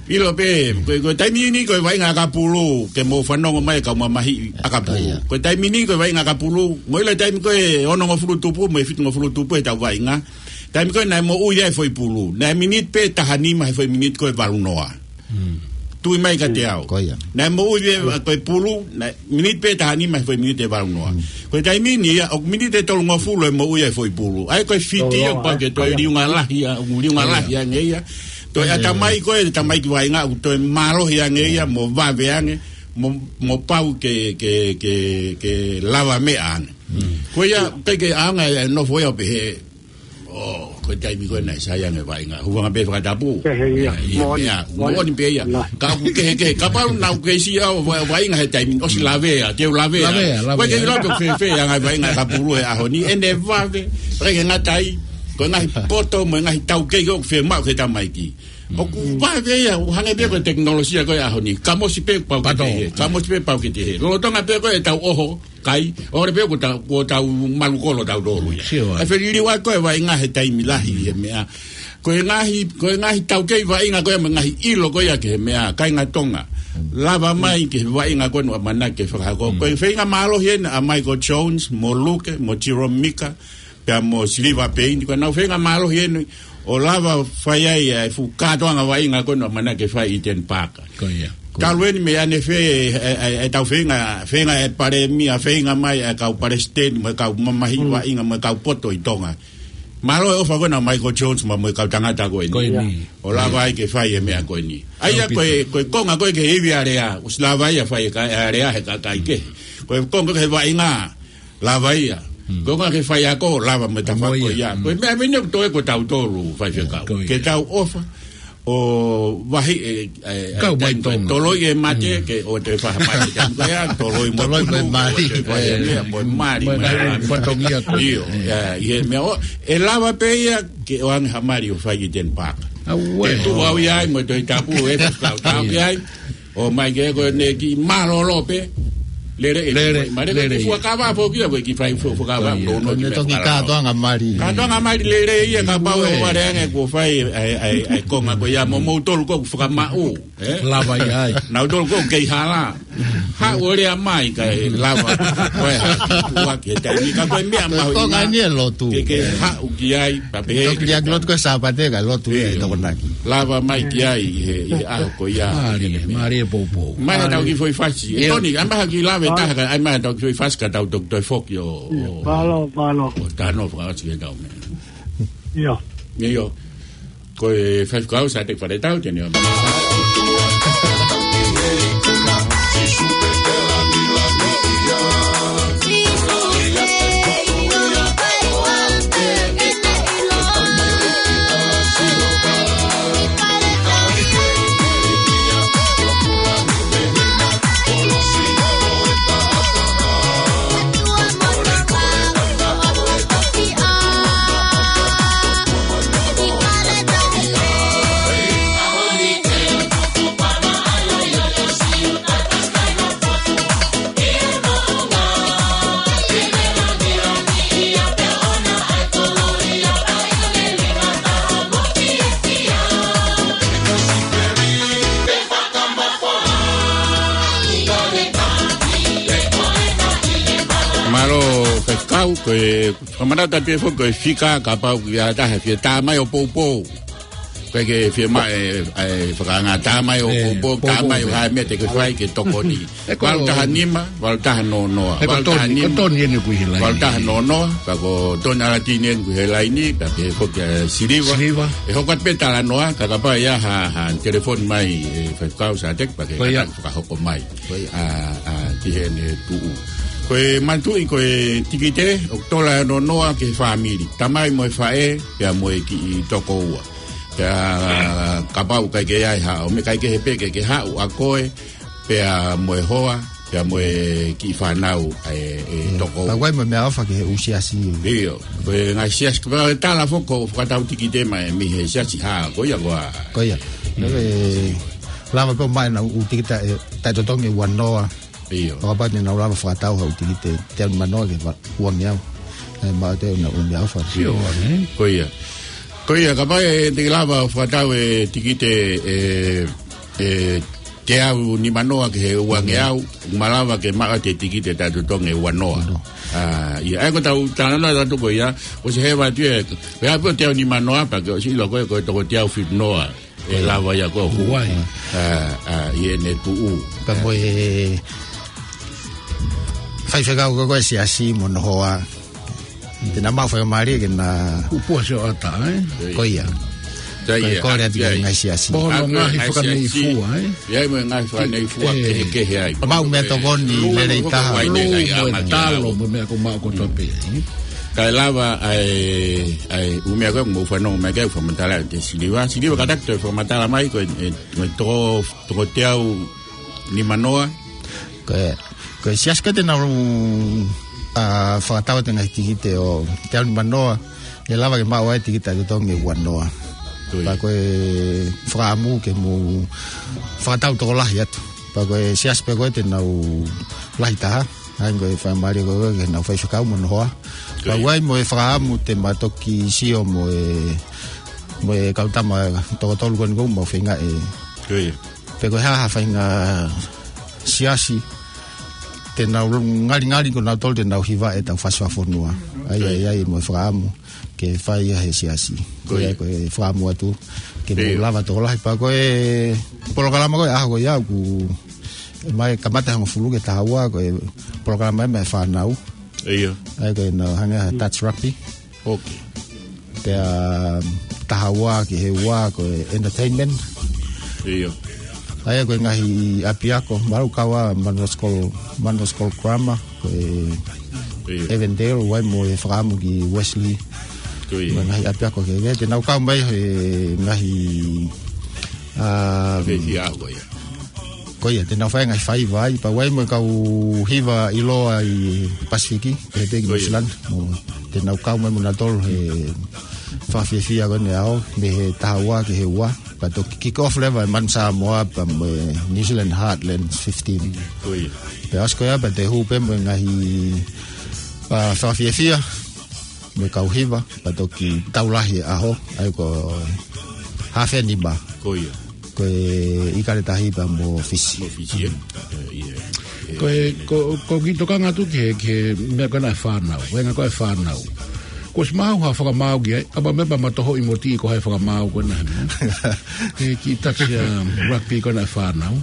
ʻIlo pē, ko e, ko e taimi ni ko e vaʻinga ʻakapulu, ke mou fanongo mai kau mamahiʻi ʻakapulu. Ko e taimi ni ko e vaʻinga ʻakapulu, mou ʻilo taimi ko ē onongofulu tupu, mo e fitungofulu tupu he tau vaʻinga. Taimi ko ē naʻe moʻui ai e foʻi pulu. Naʻe miniti pē taha nima he foʻi miniti ko ē valu noa. ui mai kiate au. Ko ia. Naʻe moʻui ē, ko e pulu, naʻe miniti pē taha nima he foʻi miniti ʻe valu noa. Ko e taimi ni ia, ʻoku miniti ʻe tolungofulu ʻe moʻui ai e foʻi pulu. ʻA ia ko e fiti ia, ʻoku pau ke toe liunga lahi ia, ʻoku liunga lahi ange ia. Toe ʻatamai ko e, ʻatamai ki vaʻinga, ʻoku toe mālohi ange ia, mo vave ange, mo, mo pau ke, ke, ke, ke lava meʻa ange. Ko ia, ʻikai ke ʻaonga e nofo ia ʻo pehē, ʻo, ko e taimi ko ē naʻe sai ange vaʻinga. Hūfanga pē he fakatapu. Pehē ia. Ia, ia, moʻoni. Ia, moʻoni pē ia. Ka ʻoku kehekehe. Kapau naʻa ku kei siʻi au va-, vaʻinga he taimi ni. ʻOsi lavea, te u lavea. Lavea, lavea. Ko e kei lave fēfē anga e vaʻinga ka pulu he ʻaho ni. ʻEne vave. ʻIkai ke ngata ai. Ko e ngaahi poto mo e ngaahi taukei ʻoku fiemaʻu ki he tamaiki. ʻOku vave ia, ʻoku hangē pē ko e tekinolosia ko e ʻaho ni. Kamosi pē pau ke te hē. Kamosi pē pau ke te hē. Lolotonga pē ko e tau ʻoho kai, ʻoku pau pē kuo tau, kuo tau malu kolo tautolu ia. Sio ai. ʻE feliliu ai ko e vaʻinga he taimi lahi he meʻa. Ko e ngaahi, ko e ngaahi taukei vaʻinga ko e mo e ngaahi ʻilo ko ia ki he meʻa, kāinga Tonga. Lava mai ki he vaʻinga ko eni ʻoku ʻamanaki ke fakahoko. Ko e feinga mālohi eni ʻa Michael Jones, mo Luke, mo Jerome Mika, pea mo Siliva Peini, ko ʻenau feinga mālohi eni, ʻo lava fai ai e fuʻu kātoanga vaʻinga ko eni ʻoku ʻamanaki ke fai ʻi Eden Park. Ko ia. Talu eni mei ʻanefē, e, e, e tau feinga, feinga e palēmia, feinga mai e kau palesiteni, mo e kau mamahi vaʻinga, mo e kau poto ʻi Tonga. Mālō e ʻofa ko ena Michael Jones, mo, mo e kau tangata ko eni. Ko eni. ʻO lava ai ke fai e meʻa ko eni. ʻA ia ko e, ko e konga ko e ke ivi alea, ʻosi lava ia fai e ka, alea he kakai kehe. Ko e konga ko e vaʻinga, lava ia. Ko e konga ke fai ako, lava mo e tafaʻaki ko ia. Ko e meʻa meni ʻoku toe ko tautolu faifekau. Ke tau ʻofa ʻo vahi e, e, e, toloi e mate, ke ʻoua toe fai ha mate. Toloi mo e mali. Mo e mali. Io, ia, ʻi he meʻa ʻoku, ʻe lava pē ia ke ʻoange ha mali ʻo fai ʻi Eden Park. ʻE tuʻu au ia ai mo e Tohi Tapu, ʻe fakau ia ai. ʻO mai ke ko eni kiʻi mālōlō pē. Lele, lele, lele. Fuakava foki ia, ko e kiʻi fai fuakava. Ko e toki kātoanga mali. Kātoanga mali lele ia kapau ʻe vale ange kuo fai ai, ai, ai konga ko ia mo moutolu ʻoku fakamaʻu. Lava ia ai. Nautolu ʻoku kei hala. Haʻu ʻo lea mai kae lava. Ko e haʻu ki he taimi ka ko e meʻa mahuʻinga. Ko e konga ni e lotu. Ke, ke haʻu ki ai. Toki liʻaki lotu ko e Sāpate ka lotu e tokonaki. Lava mai ki ai he, he ʻaho ko ia. Mālie, mālie poupou. Mai ha tau kiʻi foʻi fasi. ʻE Toni, ʻai mai ha kiʻi lave taha ka, ʻai mai ha tau kiʻi foʻi fasi ka tau toki toe foki ʻo, ʻo, mālō, mālō. ʻO tano fakaʻosi ke tau meʻa. Io. Ko e faifekau Sateki Faletau, te ne ʻomai. Mālō faifekau, ko e fakamanatu atu ē foki ko e fika kapau ʻoku ʻi ai ha taha ʻe fie tā mai ʻo poupou. Ko e ke fie mai e, e fakaanga tā mai ʻo poupou, tā mai ʻo ha meʻa te ke fai ke tokoni. Valu taha nima, valu taha noa noa. Valu taha nima, valu taha noa noa, ka ko Toni ʻAlatini eni ʻoku ʻi he laini, ka pehē foki ʻa Siliva. Siliva. ʻE hoko atu pē talanoa, ka kapau ʻe ʻi ai ha, ha telefoni mai e faifekau Sateki, pea ke fakahoko mai. ʻA, ʻa, ki heʻene tuʻu. Ko e manatuʻi ko e tikite, ʻoku tola noa noa ki he fāmili. Tamai mo e faʻē, pea mo e kiʻi tokoua. Pea kapau ʻoku ʻikai ke ʻi ai ha, ʻo meʻa ʻikai ke he pē ke, ke haʻu ʻa koe, pea mo e hoa, pea mo e kiʻi fānau, ʻa e, e tokoua. Pea ʻoku ʻi ai mo e meʻaʻofa ki he ʻū siasi. ʻIo, ko e ngaahi siasi, kapau ʻe tala foki ko e fakatau tikite mai mei he siasi ha, ko ia ko ā. Ko ia. Lava pē ʻo maʻu ʻenau ʻū tikite ʻe taʻetotongi ʻe ua noa. ʻIo. Kapau te nau lava fakatau ha ʻū tikite teau nima noa ke ua ngeau. ʻE maʻu ʻe nautolu ʻenau ʻū meʻaʻofa. Ko ia. Ko ia, kapau ʻe te lava fakatau e tikite ʻe, ʻe teau nima noa ki he ua ngeau, malava ke maʻu atu e tikite taʻetotongi ʻe ua noa. ʻA ia, ʻa ia ko ʻetau talanoa atu ko ia, ʻosi hē atu ē, pea pē teau nima noa, pea ke ʻosi ʻilo ko e, ko e toko teau fitu noa. ʻe lava ia ko ē ʻo hū. Ua. ʻA, ʻa, ʻi heʻene tuʻu. Pea mo e faifekau ko ē ʻo e siasi mo hono hoa. Te na maʻu faingamālie ke na Kupu ʻa Sioʻata, ē? Ko ia. Ko ia. Ko e kole atu ki he ngaahi siasi. Mo hono ngaahi fakaneifua, ē? ʻI ai mo e ngaahi fakaneifua kehekehe ai. Maʻu meʻatokoni lelei taha. Lū mo e talo mo e meʻa ko ē maʻu kotoa pē, ē? Kae lava ʻa e, ʻa e ʻū meʻa ko ē ʻoku mou fanongo mai ki ai, fakamatala ʻe Siliva. Siliva, kātaki ke toe fakamatala mai, ko e, e, ko e toko, toko teau nimanoa. Ko e, ko e siasi ko ē te nau, ʻa, fakatau atu e ngaahi tikite ʻo teau nimanoa, ʻe lava ke maʻu ai e tikite ʻa e totongi ʻe uanoa. Ko ia. Pea ko e fakaʻamu ke mou fakatau tokolahi atu. Pea ko e siasi pē ko ē te nau lahi taha. ʻA ia ko e faingamālie ko ē ke nau faifekau mo hono hoa. Ko ia. Pea ʻoku ʻi ai mo e fakaʻamu te ma toki sio mo e, mo e kau tama toko tolu ko eni ʻoku mau feinga ē. Ko ia. Pe ko e hā ha faʻahinga siasi te nau ngalingali ko nautolu te nau hiva ʻetau fasi fakafonua. ʻA ia, ʻa ia, ʻa ia mo e fakaʻamu ke fai ia he siasi. Ko ia. Ko e fakaʻamu atu ke mou lava tokolahi. Pea ko e polokalama ko ē ʻaho ko ia ʻoku mai kamata hongofulu ki he taha ua, ko e polokalama ia mei he fānau. ʻIo. ʻA ia ko e nau hangē ha touch rugby. ʻOku. Pea taha ua ki he ua ko e entertainment. ʻIo. ʻA ia ko e ngaahi ʻapiako, mālō kau ʻa Manuel School, Manuel School Grammar, ko e ʻIo. Avondale, ʻoku ʻi ai mo e fakaʻamu ki Wesley. Ko ia. Mo e ngaahi ʻapiako kehekehe, te nau kau mai he ngaahi, ʻa, Ko ia. Ko ia, te nau fai e ngaahi faiva ai, pea ʻoku ʻi ai mo e kau hiva ʻiloa ʻi Pasifiki, pehē pē ki Nuʻu Sila. Mo, te nau kau mai mo nautolu he fakafiefia ko eni ʻo aʻu mei he taha ua ki he ua, pea toki kick off leva e Manu Samoa, pea mo e New Zealand Heartland fifteen. Ko ia. Pea ʻosi ko ia, pea te hū pē mo e ngaahi, ʻa, fakafiefia mo e kau hiva, pea toki tau lahi e ʻaho, ʻa ia ko e hafe nima. Ko ia. Ko e ʻIkale Tahi pea mo Fisi. Mo Fisi, ē? ʻE, ʻio. Ko e, ko, ko e kiʻi tokanga atu ki he, ki he meʻa ko ena ʻa e fānau, ko e ngaahi ko ē ʻa e fānau. Kuo ʻosi maʻu ha fakamaau ki ai, ʻa, pea meʻa pea ma tohoʻi mo tī ko hai fakamaau ko ena he meʻa. He kiʻi touch, um, rugby ko ena ʻa e fānau.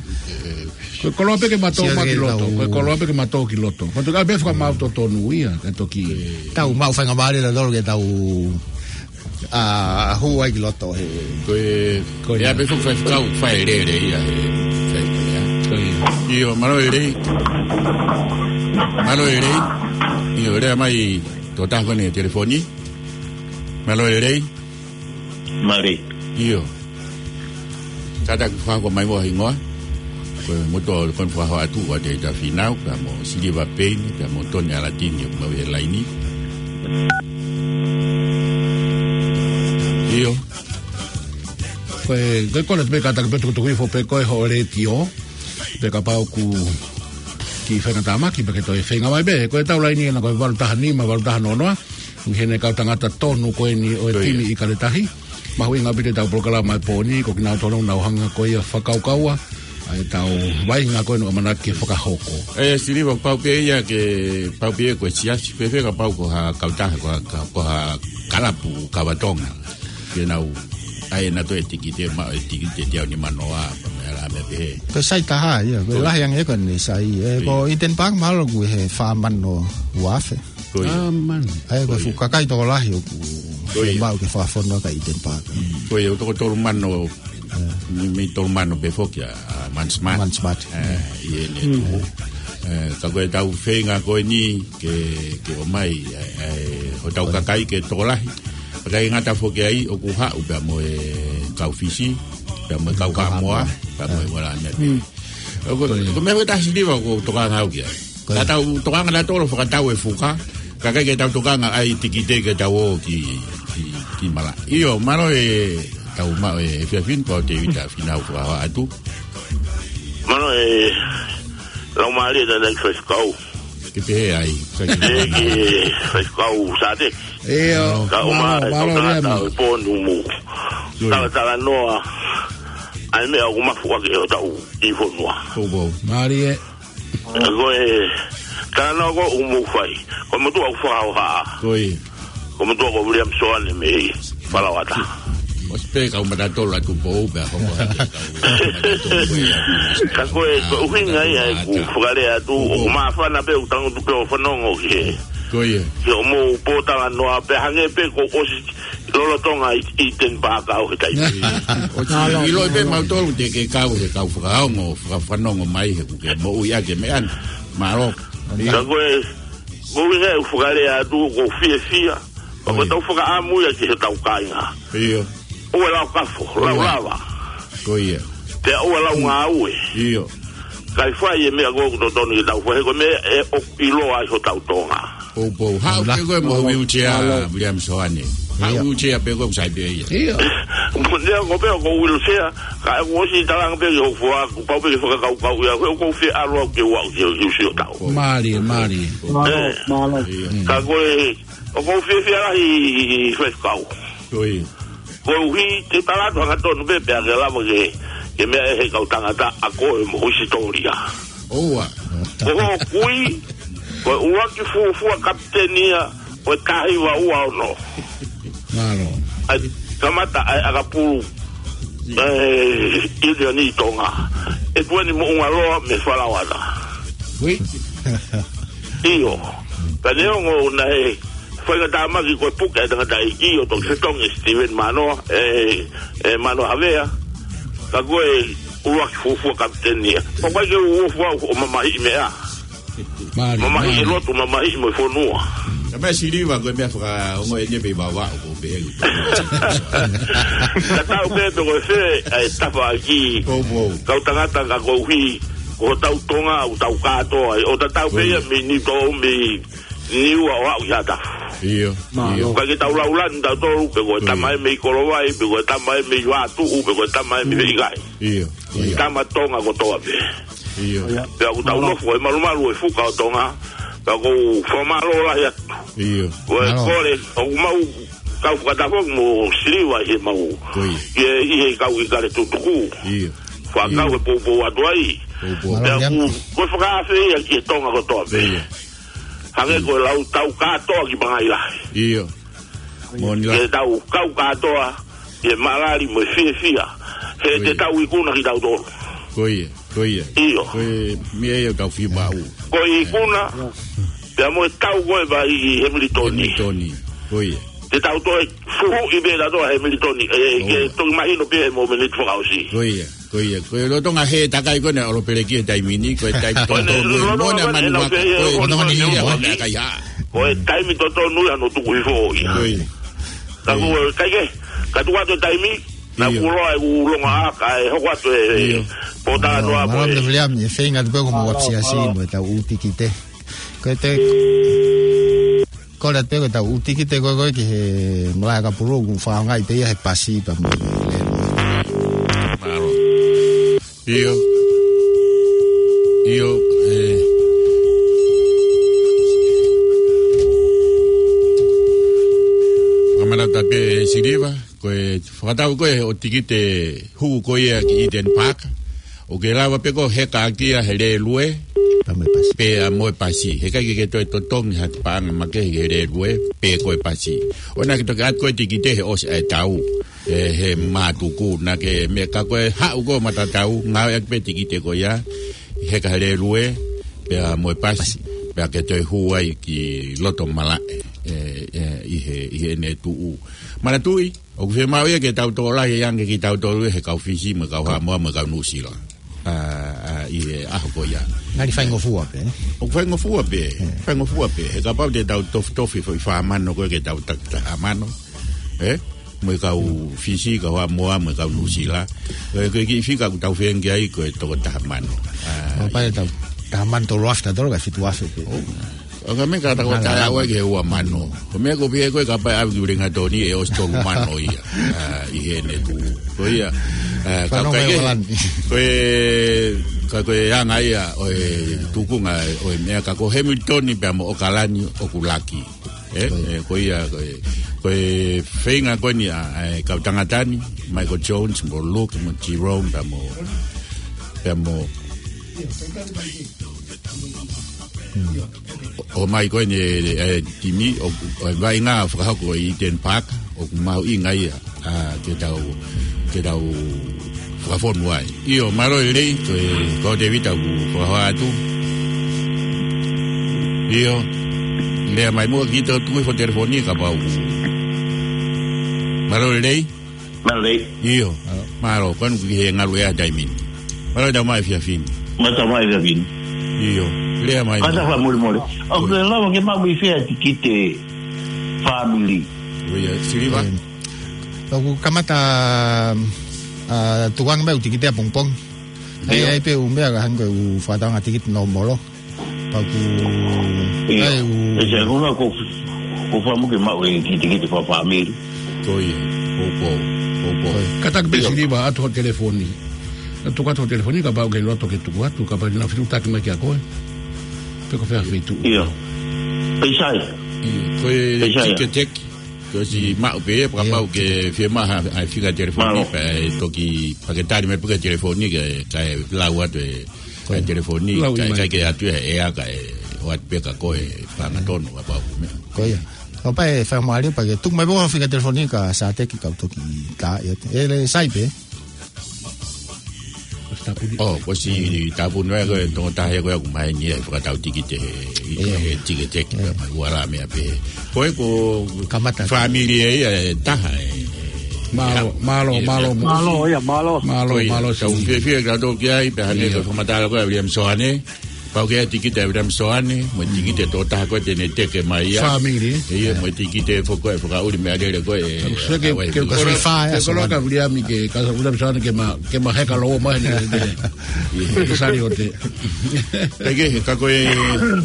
Ko e koloa pē ke ma tō ma ki loto, ko e koloa pē ke ma tō ki loto. Ko e toki ʻai pē fakamaau totonu ia, kae toki. Tau maʻu faingamālie ʻa nautolu ke tau, ʻa, hū ai ki loto he. Ko e, ko e ʻai pē fakafaifekau, fai lelei ia he, fai lelei ia. Ko ia. ʻIo, mālō e lelei. Mālō e lelei. ʻIo, lea mai, tō taha ko eni he telefoni. Mālō e lelei. Mālō. ʻIo. Kātaki fakahoko mai muʻa ho hingoa. Ko e motuʻa ʻo e kau fakahoa atu, ʻa Tēvita Fīnau, pea mo Siliva Peini, pea mo Toni ʻAlatini, ʻoku mau ʻi he laini. ʻIo. Ko e, ko e kole pē kātaki pē tukutuku hifo pē ko ē hoʻo letiō. Pea kapau ʻoku kiʻi feinga tāmaki, pea ke toe feinga mai pē. Ko ʻetau laini ena ko e valu taha nima, valu taha noa noa. ʻI heʻene kau tangata tonu ko eni ʻo e timi ʻIkale Tahi. Mahuʻinga ʻaupito ʻetau polokalama he pō ni, ko kinautolu ʻoku nau hanga ko ia ʻo fakakaukaua ʻa ʻetau vaʻinga ko eni ʻoku ʻamanaki ke fakahoko. ʻE, Siliva, pau pē ia ke, pau pē ia ko e siasi, fēfē kapau ko ha kautaha, ko ha, ko ha kalapu kava Tonga. Ke nau ʻai ʻenautolu e tikite, maʻu e tikite teau nimanoa, pea mo e meʻa pehē. Ko e sai taha ia, ko e lahi ange ko eni sai, ē, ko Eden Park mahalo ʻoku ʻi he fā mano ua afe. Ko ia. Fā mano. ʻA ia ko e fuʻu kakai tokolahi ʻoku maʻu ke fakafonua ki Eden Park. Ko ia, ʻoku toko tolu mano, mei, mei tolu mano pē foki ʻa, ʻa Manu Smart. Manu Smart. ʻE, ʻi heʻene tuʻu. ʻE, ka ko ʻetau feinga ko eni ke, ke ʻomai, ʻe, ʻe, hotau kakai ke tokolahi. Kae ʻikai ngata foki ai, ʻoku haʻu pea mo e kau Fisi, pea mo e kau Haʻamoa, pea mo e ngaahi meʻa. Ko e meʻa ko ē ʻa Siliva ʻoku tokanga au ki ai. Ko ia. Ka tau tokanga nautolu ʻo fakatau e fuka, kae ʻikai ke tau tokanga ʻai tikite ke tau ō ki, ki, ki malaʻe. ʻIo, mālō e tau maʻu e efiafi ni, ko Tēvita Fīnau fakahoa atu. Mālō e laumālie ʻa e faifekau. Ke pehē ai, ʻIkale Tahi. Faifekau Sāte. ʻIo, ka ʻomai, mālō, mālō e tangata ʻo e pō ni mo. Talatalanoa ʻa e meʻa ʻoku mafuʻaki ʻe hotau kiʻi fonua. Mālie. Ko e talanoa ko ē ʻoku mou fai. Ko e motuʻa ʻoku fakahoha. Ko e motuʻa ko William Soane mei Falawata. ʻOsi pē kau matatolu ʻa Tupou pea hoko hake kau matatolu ia. Ka ko e, ko e ʻuhinga ia ʻeku fakalea atu, ʻoku māfana pē ʻoku tangutu pē ʻo fanongo ki he, ko ia, ki hoʻomou pōtalanoa pea hangē pē kuo ʻosi lolotonga ʻi, ʻi Eden Park au he taimi. ʻOsi ʻiloʻi pē mautolu te ke kau he kau fakaongo, fakafanongo mai he kuo ke moʻui ʻaki e meʻa ni. Mālō. Ka ko e, ko e ʻuhinga ʻeku fakalea atu, ʻoku ou fiefia. Pea ko ʻetau fakaʻamu ia ki heʻetau kāinga. ʻIo. ʻOua ʻe lau kafo, lau lava. Ko ia. Pea ʻoua ʻe lau ngāue. ʻIo. Kae fai e meʻa ko ē ʻoku totonu ke tau fai, he ko e meʻa ē ʻoku ʻiloa ai hotau Tonga. Poupou. Haʻu pē koe mo e wheelchair, William Soane. Haʻu wheelchair pē koe ʻoku sai pē ia. ʻIo. Mo e ʻuhinga ko ē ʻoku ou wheelchair, ka ʻoku ʻosi talanga pē ki hoku foha, kuo pau pē ke fakakaukau ia, ko e ʻoku ou fie ʻalu au ke u aʻu ki he, ki he ʻusi ʻo tau. Mālie, mālie. Mālō, mālō. Ka ko e, ʻoku ou fiefia lahi ʻi, ʻi, ʻi Faifekau. Ko ia. Koeʻuhi te u tala atu hangatonu pē pea ke lava ke, ke meʻa ʻe he kau tangata ʻa koe mo ho hisitōlia. ʻOua. Ko hoʻo kui, ko e ʻuluaki fuofua kapiteni ia ʻo e taha hiva ua ono. Mālō. ʻA e kamata ʻa e ʻakapulu, ʻe, ʻiunioni Tonga. ʻE tueni mo ʻUngaloa mei Falauana. Ui. ʻIo. Ka neongo naʻe fai ngata maki ko e puke ʻa e tangataʻeiki ʻo Toketā Tonga Steven Manoa, ʻe, ʻe Manoa Havea. Ka ko e ʻuluaki fuofua kapiteni ia. ʻOku ʻikai ke u fuofua ʻo mamahiʻi meʻa. Mālie, mamahiʻi e mālie. Lotu, mamahiʻi mo e fonua. Ka meʻa Siliva, ko e meʻa fakaongo eni pē ʻi Vavaʻu, ko e pehē. Ka tau pē pe ko e fē ʻa e tafaʻaki. Poupou. Kau tangata ka koeʻuhi ko hotau Tonga, ʻoku tau kātoa ai. ʻO tatau pē ia mei Niutō, mei Niua ʻo aʻu ki Haʻatafu. ʻIo. Mālō. ʻIo. ʻIkai ke tau laulani tautolu, pe ko e tama ē mei Kolovai, pe ko e tama ē mei Vatuʻu, pe ko e tama ē mei Veikai. ʻIo. ʻIo. Tama Tonga kotoa pē. ʻIo. Pea ʻoku tau nofo he malumalu ʻo e fuka ʻo Tonga, pea ʻoku ou fakamālō lahi atu. ʻIo. Ko e kole, ʻoku mau kau fakataha foki mo Siliva ʻi he mau. Ko ia. ʻI he, ʻi he kau ʻIkale Tutuku. ʻIo. Fakakau he poupou atu ai. Poupou. Pea ʻoku, ko e fakaafe ia ki he Tonga kotoa pē. ʻIo. Hangē ko e lau tau kātoa ki Pangai Lahi. ʻIo. Moʻoni lā. Ke tau kau kātoa, ʻi he malali mo e fiefia. He te tau ikuna kitautolu. Ko ia, ko ia. ʻIo. Ko e meʻa ia ʻoku tau fiemaʻu. Ko e ikuna, pea mo e tau ko ē ʻa Hemilitoni. Hemilitoni, ko ia. Te tau toe fuhuʻi pē tautolu ʻa Hemilitoni. ʻE, ke toki mahino pē he mōmeniti fakaʻosi. Ko ia. Ko ia, ko e lolotonga he takai ko ena ʻolo peleki he taimi ni, ko e taimi totonu ia, mo ʻena manuaka, ko e lolotonga ia, ko e takai ha. Ko e taimi totonu ia hono tuku hifo ia. Ko ia. Ka ko e kai ke, ka tuku atu e taimi, naʻa ku loa e ku longa aka e hoko atu e pōtalanoa ko e. Mālō, William, ʻe feinga atu pē ko mo wapsiasi mo e tau ʻū tikite. Ko e te Kole atu pē ko e tau ʻū tikite ko ē ko ē ki he malaʻe ʻakapulu, ʻoku fakaʻaongaʻi pē ia he pasi pea mo e lēlue. Mālō. ʻIo. ʻIo, ʻe. Kamana ta pē Siliva, ko e fakatau ko ē ʻo e tikite hū ko ia ki Eden Park. ʻOku ke lava pē ko ē ʻo heka ʻaki ia he lēlue. Pea mo e pasi. Pea mo e pasi. Heʻikai ke ke toe totongi ha paʻanga makehe he lēlue, pe ko e pasi. ʻOua naʻa ke toki ʻatu ko ē tikite he ʻosi ʻa e tau. He, he mātuku, naʻa ke meʻa ka ko e haʻu ko ē matatau, ngāueʻaki pē tikite ko ia, heka he lēlue, pea mo e pasi, pasi. Pea ke toe hū ai ki loto malaʻe, ʻe, ʻe, ʻi he, ʻi heʻene tuʻu. Manatuʻi, ʻoku fiemaʻu ia ke tau tokolahi ange kitautolu he kau Fisi, mo e kau Haʻamoa, mo e kau Nuʻusila. ʻA, ʻa, ʻi he ʻaho ko ia. Ngali faingofua pē, ē? ʻOku faingofua pē, faingofua pē. He kapau te tau tofitofi foʻi fā mano ko ē ke tau taki taha mano. Ē? Mo e kau Fisi, kau Haʻamoa, mo e kau Nuʻusila. Ko e, ko e kiʻi fika ʻoku tau feinga ai ko e toko taha mano. ʻA, kapau te tau taha mano tolu afe tautolu kae fitu afe pē. ʻO ka meʻa ka ta ko tae au ai ki he ua mano. Ko e meʻa ko e pehē ko ē kapau ʻe ʻave ki Uelingatoni ʻe ʻosi tolu mano ia. ʻA, ʻi heʻene tuʻu. Ko ia. ʻA, ka ko e, ko e anga ia ʻo e tukunga ʻo e meʻa ka ko Hemilitoni pea mo ʻOkalani ʻoku laki. ʻE, ʻe, ko ia, ko e, ko e feinga ko eni ʻa, ʻa e kau tangata ni, Michael Jones, mo Luke, mo Jerome, pea mo, pea mo, ʻo, ʻomai ko eni, ʻe, ʻe, timi, ʻo, ʻo e vaʻinga fakahoko ʻi Eden Park, ʻoku mahuʻinga ia. ʻa, ke tau, ke tau fakafonu ai. ʻIo, mālō e lelei, ko e, ko Tēvita ʻoku fakahoa atu. ʻIo, lea mai muʻa ki he tuku hifo telefoni kapau. Mālō e lelei. Mālō e lelei. ʻIo, mālō, ko eni kuo ke ngalu ʻi he taimi ni. Mālō e tau mai fiafini. Mālō e tau mai fiafini. ʻIo, lea mai. Kātaki fakamolemole. ʻOku ke lava ke maʻu mei fē e tikite fāmili? ʻIo, Siliva. ʻOku kamata, ʻa, tukuange mai ʻū tikite ʻapongipongi. ʻAi, ʻio. ʻAi pē ʻū meʻa ka hangē ko e ʻū fakatauange tikite nōmolo. Pea ʻoku, ʻio. ʻAi ʻū. ʻE se, ko e ʻuhinga ko, ko fakamuʻa ke maʻu e kiʻi tikite fakafāmili. Ko ia, ko, ko, ko, ko. Ko ia. Kātaki pē, ʻio, Siliva atu ho telefoni. Tuku atu ho telefoni kapau ʻoku ke loto ke tuku atu, kapau naʻa fetuʻutaki mai kia koe. Pe ko fē ha feituʻu. ʻIo. Pea sai. ʻIo, ko e Pea sai. Tikiteki. Ko e siʻi maʻu pē, ʻio, kapau ke fiemaʻu ha, ha fika telefoni, mālō, pea ʻe toki, pea ke tali mai pē ki he telefoni, ke, kae lau atu e, ko e, e telefoni, lau kae, mai, kae ke ʻatu e, ʻe ʻaka e, ʻoatu pē kia koe, fanga tonu, kapau ko e meʻa. Ko ia. Kapau ʻe fai mo ali, pea ke tuku mai pē ha fika telefoni kia Sateki kau toki tā, ʻio, ʻe le sai pē. Ko e tāpuni. ʻO, ko e siʻi tāpuni ē, ko e tokotaha ē ko ē ʻoku maheni ʻe fakatau tikite he, ʻio, he tikiteki, ʻio, pea mai ua la meʻa pē. Ko e ko kamata fāmili ē, ʻe taha ē. Mālō, ʻio, mālō, ʻio, mālō, ʻio. Mālō, ia, mālō. Mālō, ko ia, mālō, tau siʻi fiefia ke tau ki ai, pea hangē, ʻio, ko e fakamatala ko ē ʻa Viliami Soane. Pau ke ʻai tikite ʻa Viliami Soane, mo e tikite tokotaha ko ē te ne teke mai ia. Fāmili. ʻIo, mo e tikite foki ko ē fakaʻuli meʻalele ko ē. Ke, ke, ke koloa ka Viliami ke, ka Viliami Soane ke ma, ke ma heka lou mai ne, ne, ne, ke sali o te. Pea ke, ka ko e,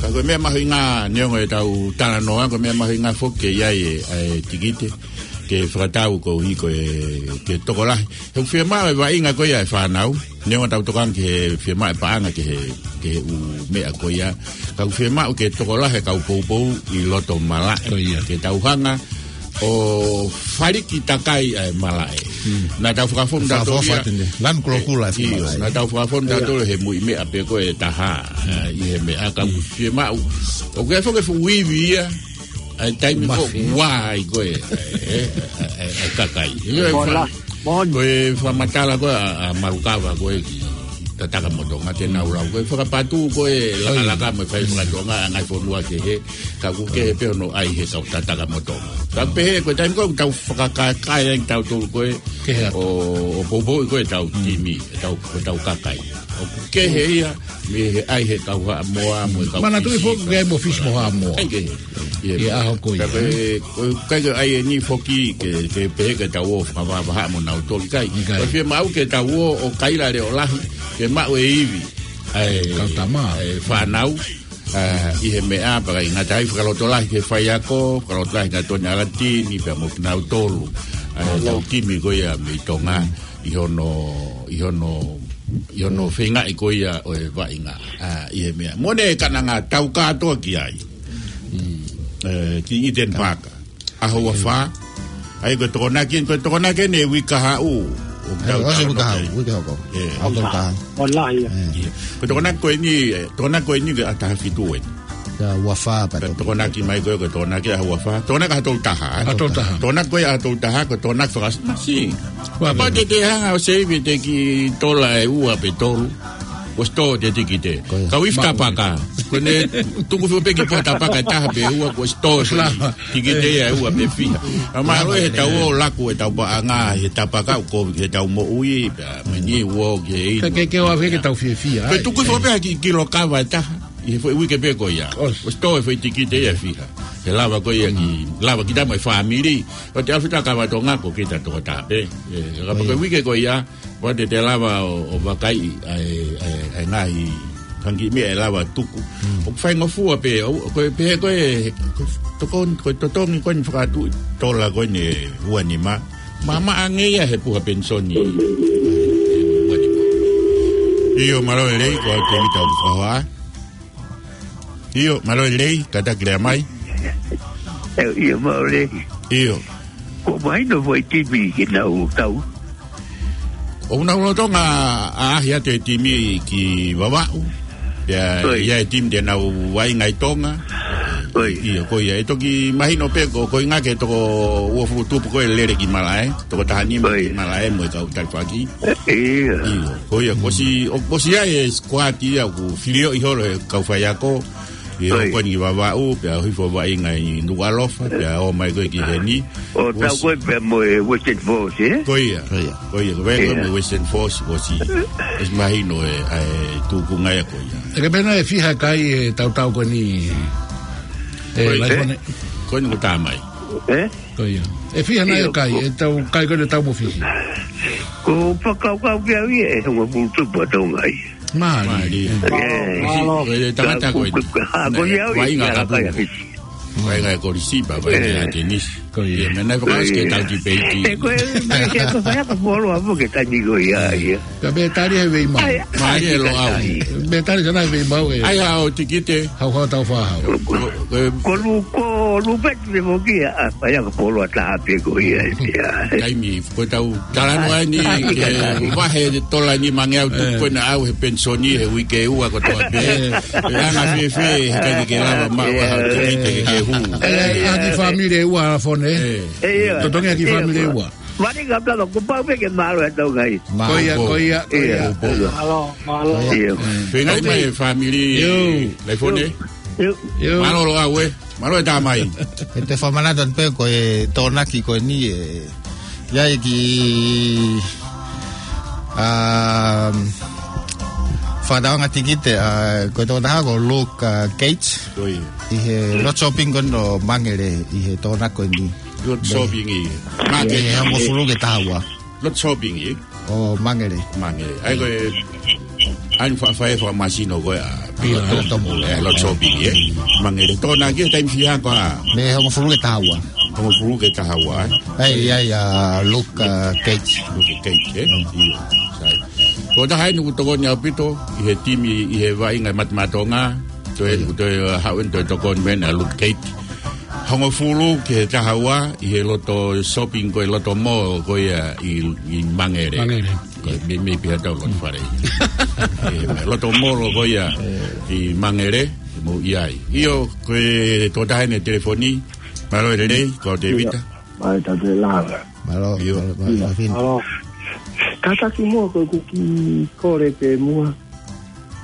ka ko e meʻa mahuʻinga neongo ʻetau talanoa, ko e meʻa mahuʻinga foki ke ʻi ai e, e tikite ke fakatau koeʻuhi ko e, ke tokolahi. He ʻoku fiemaʻu e vaʻinga ko ia e fānau. Neongo ʻetau tokanga ki he fiemaʻu e paʻanga ki he, ki he ʻū meʻa ko ia. Ka ʻoku fiemaʻu ke tokolahi e kau poupou ʻi loto malaʻe. Ko ia. Ke tau hanga ʻo faliki takai ʻa e malaʻe. Hmm. Naʻa tau fakafonu tautolu ia. Lanu kulokula e, ʻio, malaʻe. Naʻa tau fakafonu tautolu he muiʻi meʻa pē ko e taha. ʻA, ʻi he meʻa ka ʻoku fiemaʻu. ʻOku ʻi ai foki e fuʻu ivi ia. ʻA e taimi ko ē ʻoku ua ai ko ē, ʻe, ʻe, ʻe, ʻe kakai. ʻIo, ʻe fa-, ko e fakamatala ko ē ʻa, ʻa Malukava ko ē ki Tatakamotonga te nau lau. Ko e fakapatu ko ē lakalaka mo e fai fakatonga ʻa e ngaahi fonua kehe. Ka ʻoku kehe pē hono ʻai he kau Tatakamotonga. Ka pehē ko e taimi ko ē ʻoku tau fakakakai ai tautolu ko ē. Kehe atu. ʻO, ʻo poupou ko ē tau timi, tau, ko e tau kakai. ʻOku kehe ia, mei he ʻai he kau Haʻamoa, mo e kau Fisi. Manatuʻi foki ke ʻai mo Fisi mo Haʻamoa. ʻAi ke. ʻI he ʻaho ko ia. Ka ko e, ko e, ʻikai ke ʻai eni foki ke, ke pehē ke tau ō fakavahavahaʻa mo nautolu ʻikai. ʻIkai. Ko e fiemaʻu ke tau ō ʻo kaila leʻo lahi, ke maʻu e ivi. ʻA e, kau tama. ʻA e fānau, ʻa, ʻi he meʻa, pea ʻikai ngata ai fakalotolahi ki he faiako, fakalotolahi kia Toni ʻAlatini, pea mo kinautolu. ʻA e tau timi ko ia mei Tonga, ʻi hono, ʻi hono, ʻi hono feingaʻi ko ia ʻo e vaʻinga, ʻa, ʻi he meʻa. Mo ʻene kananga tau kātoa ki ai. ʻE, ki Eden Park. ʻAho ua fā. ʻAi ko e Tokonaki, ko e Tokonaki eni uike kahaʻu. ʻE, ʻosi uike kahaʻu, uike hoko. ʻE. ʻAho kahaʻu. Online, ia. ʻE. Ko e Tokonaki ko eni, ʻe, Tokonaki ko eni ke ʻa taha fitu eni. Ia, ua fā pea Tokonaki mai ko e, ko e Tokonaki ʻaho ua fā. Tokonaki ʻaho tolu taha, ʻe. ʻAho tolu taha. Tokonaki ko e ʻaho tolu taha, ko e Tokonaki fakaʻosi. Ua pea te te hanga ʻo save te ki tola ʻe ua pe tolu. Kuo ʻosi tō e tikite. Ko ia. Kau ifi tapaka. Ko ʻene tuku foki pē ki he potu tapaka ʻe taha pe ua, kuo ʻosi tō e tikite ia ʻe ua pe fiha. ʻA mālō ʻe he tau ō laku e tau paʻanga, he tapaka ʻoku he tau moʻui, pea meni ua ki he inu. Ke, ke, ke ʻoua ke tau fiefia. Ko e tuku foki pē ha kiʻi kilo kava ʻe taha. ʻI he foʻi uike pē ko ia. ʻOsi. ʻOsi tō e foʻi tikite ia ʻe fiha. He lava ko ia ki, lava kita mo e fāmili. ʻO te afi ta kava Tonga ko kita tokotaha pē. ʻE, ka ko e uike ko ia. Pea te te lava ʻo, ʻo vakaiʻi ʻa e, ʻa e, ʻa e ngaahi fanga kiʻi meʻa ʻe lava tuku. ʻOku faingofua pē, ʻo, ko e pehē ko e, ko e tokon-, ko e totongi ko eni fakaʻatu tola ko eni ʻe ua nima. Maʻamaʻa ange ia he puha penisoni. ʻIo, mālō e lelei, ko au Tēvita ʻoku fakahoa. ʻIo, mālō e lelei, kātaki lea mai. ʻE, ʻio, mālō e lelei. ʻIo. Ko mahino foʻi timi ke nau tau. ʻOku nau lolotonga ʻaʻahi atu e timi ki Vavaʻu. ʻIo, ʻio e timi te nau vaʻinga ʻi Tonga. ʻIo, ko ia. ʻE toki mahino pē ko, ko e ʻuhinga ke toko uofulu tupu ko ē lele ki malaʻe, toko taha nima ki malaʻe mo e kau talifaki. ʻIo, ko ia. Kuo ʻosi, ʻo, kuo ʻosi ʻi ai e sikuati ia ʻoku filioʻi holo ʻe he kau faiako. ʻI he hoko eni ki Vavaʻu, pea hifo vaʻinga ʻi Nukuʻalofa, pea ō mai ko ē ki heni. ʻO tau ko ē pea mo e Western Force, ē? Ko ia. Ko ia. Ko ia, ko e pea ko ē mo e Western Force, kuo ʻosi, ʻosi mahino e, ʻa e tuʻunga ia ko ia. ʻE ke pehē naʻe fiha kai e tautau ko eni. Ko ia. Ko eni kuo tā mai. Ē? Ko ia. ʻE fiha naʻe kai, ʻetau kai ko eni tau mo fihi. Ko fakakaukau pē au ia ʻe hongofulu tupu ʻa Tonga ia. Mālie. Mālie. Ko e tangata ko eni. Ko ia au ia. Vaʻinga ka pulu. Vaʻinga e Kolisi, pea vaʻinga e tenisi. Ko ia. Ia, meʻa naʻe fakaʻosi ke tau tipeiti. ʻE ko e, meʻa ke ko fai ʻa ka polo a mo ke tani ko ia, ia. Ka me tali he vei mau. Mālie Loʻau. Me tali sana he vei mau ē. ʻAi haʻo tikite. Hau hau tau fā hau. Ko lu, ko lu pet me mo kia, ʻa, fai ʻa ka polo a taha pē ko ia, ia. Taimi, ko tau talanoa ni, ke vahe tola ni mangeau tuku ko ena au he penisoni, he uike ua ko toa pē. ʻE anga fēfē, he kai ke lava maʻu ʻa e tikite ke ke hū. ʻE, ʻa ki fāmili ua fone. Totongi ʻa ki fāmili ua. Mani ka plano, ko pau pē ke mālō e tau kai. Ko ia, ko ia, ko ia. Mālō, mālō. Fengai mai e fāmili. Laifone. Mālō Loʻau ē. Mālō e tā mai. ʻE te fakamanatu pē ko e Tokonaki ko eni ē. ʻI ai ki, um, fakatauanga tikite, ʻa, ko e tokotaha ko Luke, ʻa, Gates. Ko ia. ʻI he Lot Shopping ko eni ʻo Mangere, ʻi he Tokonaki ko eni. Lot Shopping ʻi. Māke. ʻI he hongofulu ki he taha ua. Lot Shopping ʻi. ʻO Mangere. Mangere. ʻAi ko e, ʻai faʻa fai e fakamasino ko ē ʻa. ʻIo, Lot Shopping ʻi. Mangere. Tokonaki taimi fiha ko ā? Mei he hongofulu ki he taha ua. Hongofulu ki he taha ua, ē? ʻAi, ʻai, ʻa Luke, ʻa, Gates. Luke Gates, ē? ʻIo. Sai. Ko e taha eni ʻoku tokoni ʻaupito, ʻi he timi, ʻi he vaʻinga Mate Maʻa Tonga, toe, toe, ʻa, haʻu eni toe tokoni mai ʻa Luke Gates. Hongofulu ki he taha ua ʻi he Lot Shopping ko e Lot Mall ko ia ʻi, ʻi Mangere. Mangere. Ko e mei, mei pē ha tau Lot Fale. ʻE, Lot Mall ko ia ʻi Mangere, mou ʻi ai. ʻIo, ko e tokotaha eni telefoni, mālō e lelei, ko Tēvita. Mālō e lava. Mālō, ʻio. Mālō, mālō, mālō. Kātaki muʻa ko ʻeku kiʻi kole pē muʻa.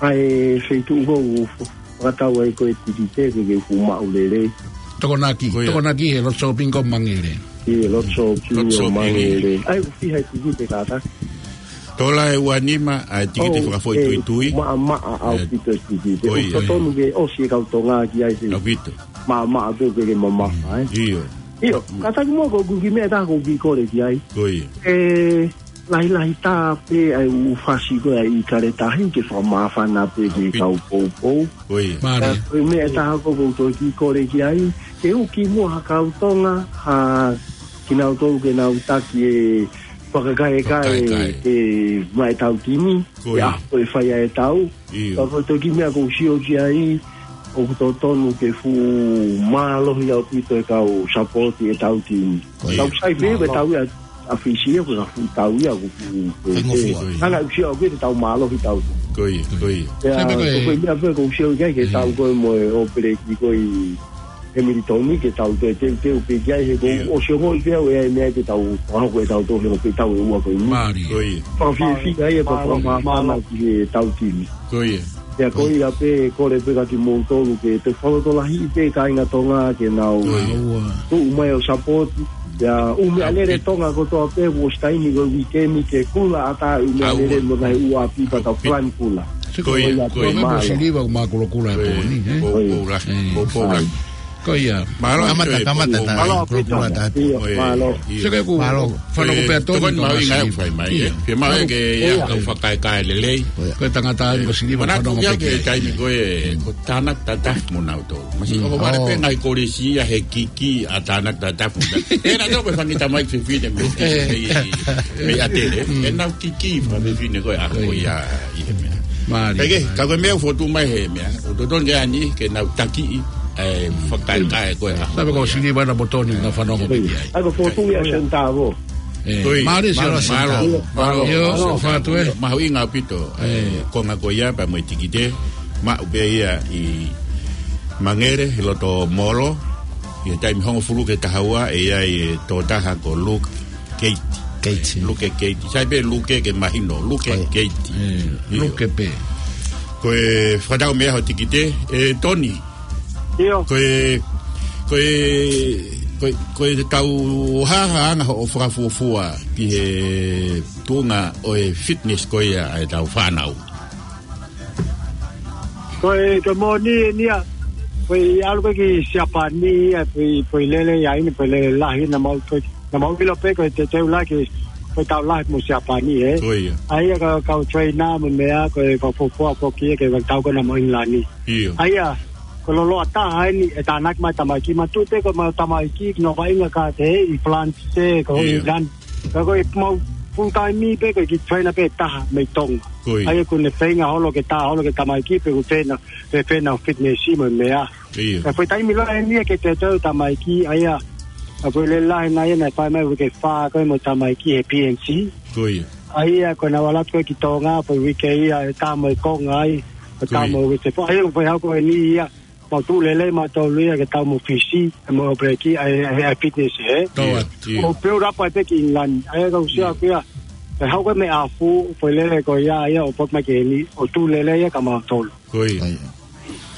ʻA e feituʻu ko ē ʻoku fakatau ai ko e tikite ke ke fuʻu maʻu lelei. Tokonaki, ko ia. Tokonaki he Lot Shopping ko Mangere. ʻI he Lot Shopping ʻo Mangere. ʻAi, ʻoku fiha e tikite kātaki? Tola ʻe ua nima, ʻa e tikite fakafoʻituitui. Maʻamaʻa ʻaupito e tikite. Ko ia. ʻOku totonu ke ʻosi e kau Tonga ki ai. ʻAupito. Maʻamaʻa pē ke ke mamafa, ē? ʻIo. ʻIo, kātaki muʻa ko ʻeku kiʻi meʻa ʻe taha ʻoku ou kiʻi kole ki ai. Ko ia. ʻE, lahilahi tā pē ʻa e ʻū fasi ko ē ʻa e ʻIkale Tahi ke fakamāfana pē ki he kau poupou. Ko ia. Mālie. Ko e meʻa ʻe taha ko ē ʻoku ou toe kiʻi kole ki ai, ke ʻuki muʻa ha kau Tonga, ha kinautolu ke nau taki e fakakaekae ke maʻa ʻetau timi, ko ia, ʻa ko e fai ʻa e tau. ʻIo. Ka ko e toki meʻa ʻoku ou sio ki ai, ʻoku totonu ke fuʻu mālohi ʻaupito e kau sapoti ʻetau timi. Ko ia. Tau sai pē, ko e tau ia ʻa Fisi ia, ko e fuʻu tau ia, ko e fuʻu, ko e, ko e, ko e, ko e, ko e, ko e tau mālohi tau. Ko ia, ko ia. Ia, ko e meʻa pē ʻoku ou sio ki ai, ke tau ko ē mo e ʻōpeleki ko ē ʻi Hamilton ke tau toe teuteu pē ki ai he ʻoku ou sio ko ē pē au ʻe ʻi ai e meʻa ke tau fakahoko ʻetau tō he ʻoku pē tau ʻe ua ko eni. Mālie. Ko ia. Fakafiefia ai e fakamāfana ki heʻetau timi. Ko ia. Ia ko ia pē kole pē kiate kimoutolu ke toe fakalotolahiʻi pē kāinga Tonga ke nau tuʻu mai ʻo sapoti. Ia ʻū meʻalele Tonga kotoa pē ʻoku ʻosi taimi ko e uike ni ke kula ʻatā ʻū meʻalele mo nai ua pipa tau plan kula. Ko ia, ko ia. Ko e siliva ʻoku mākulokula e pō ni, ē? Ko ia. Ko ia. Mālō, kamata, kamata, mālō, mālō. Mālō. Mālō. Seke ku mālō. Fanongo pē ʻa Toni, tokoni ko mālō ʻi ngāue ʻoku fai mai, ē? Pea mālō ke ʻi ai e kau fakaekae lelei. Ko e tangata ʻa e siliva. Manatu fanongo pē ki he taimi ko ē, ko Tānaki Tatafu mo nautolu. Masiʻi ʻoku vale pē ngaahi kolisi ia he kiki ʻa Tānaki Tatafu. ʻE naʻa tau ko e fanga kiʻi tamai fefine mei, mei, mei ʻAtele. ʻE nau kiki fanga fefine ko ē ʻa ko ia ʻi he meʻa. Mālie. Pea ke, ka ko e meʻa ʻoku fotu mai he meʻa. ʻOku totonu ke ani, ke nau takiʻi e fakaekae ko ē ʻa. Sabe ko siliva na mo Toni na fanongo pē ki ai. ʻA ko fotu ia sentavo. Mālie, mālō, mālō. Mālō. ʻIo, mālō, fakatau ē. Mahuʻinga ʻaupito e konga ko ia pea mo e tikite. Maʻu pē ia ʻi Mangere, he loto Molo, ʻi he taimi hongofulu ki he taha ua, ʻe ʻi ai e tokotaha ko Luke Keiti. Keiti. Luke Keiti. Sai pē Luke ke mahino, Luke Keiti. ʻIo. Luke pē. Ko e fakatau meʻa hoʻo tikite, ʻe Toni. ʻIo. Ko e, ko e, ko e, ko e tau hā ha anga hoʻo fakafuofua ki he tuʻunga ʻo e fitness ko ia ʻa e tau fānau. Ko e, ko e moʻoni eni ia, ko e ʻalu ko ē ki Siapani ia, ko e, ko e lele ia ʻi heni, ko e lele lahi naʻa mau, ko e, naʻa mau ʻilo pē ko e teuteu lahi, ko e tau lahi mo Siapani, ē. Ko ia. ʻA ia ka, kau trainer mo e meʻa, ko e fakafuofua foki ia ke tau ko ē naʻa mau ʻIngilani. ʻIo. ʻA ia, ko e loloa taha eni, ʻe tānaki mai tamaiki, ma tu te ko e mau tamaiki, ki no vaʻinga ka te ʻi France, ko ʻIo. England. Ka ko e mau full time pē, ko e kiʻi trainer pē taha mei Tonga. Ko ia. ʻA ia ko ʻene feinga holo ke tā holo ke tamaiki pē ko e fena, pe fena fitness mo e meʻa. ʻIo. Ka ko e taimi lahi eni ia ke teuteu tamaiki, ʻa ia, ʻa ko e lele lahi naʻe ʻi ai naʻe fai mai uike fā ko ē mo e tamaiki he P N C. Ko ia. ʻA ia ko ʻena ʻalu atu ko ē ki Tonga, ko e uike ia, ʻe tā mo e konga ai, ʻe tā Ko ia. mo e uike fā. ʻA ia ko e hau ko eni ia, mau tuʻu lelei mautolu ia ke tau mo Fisi, mo e ʻōpeleki, ʻa e, ʻa e, ʻa e fitness, ē. Tau ʻIo, atu. ʻIo. ʻO build up ai pē ki England. ʻA ia ka u sio ʻIo. ʻaku ia, ʻe hau ko ē mei ʻafu, ko e lele ko ia, ia ʻo pop mai ki heni, ʻo tuʻu lelei ia kia mautolu. Ko ia. Ko ia.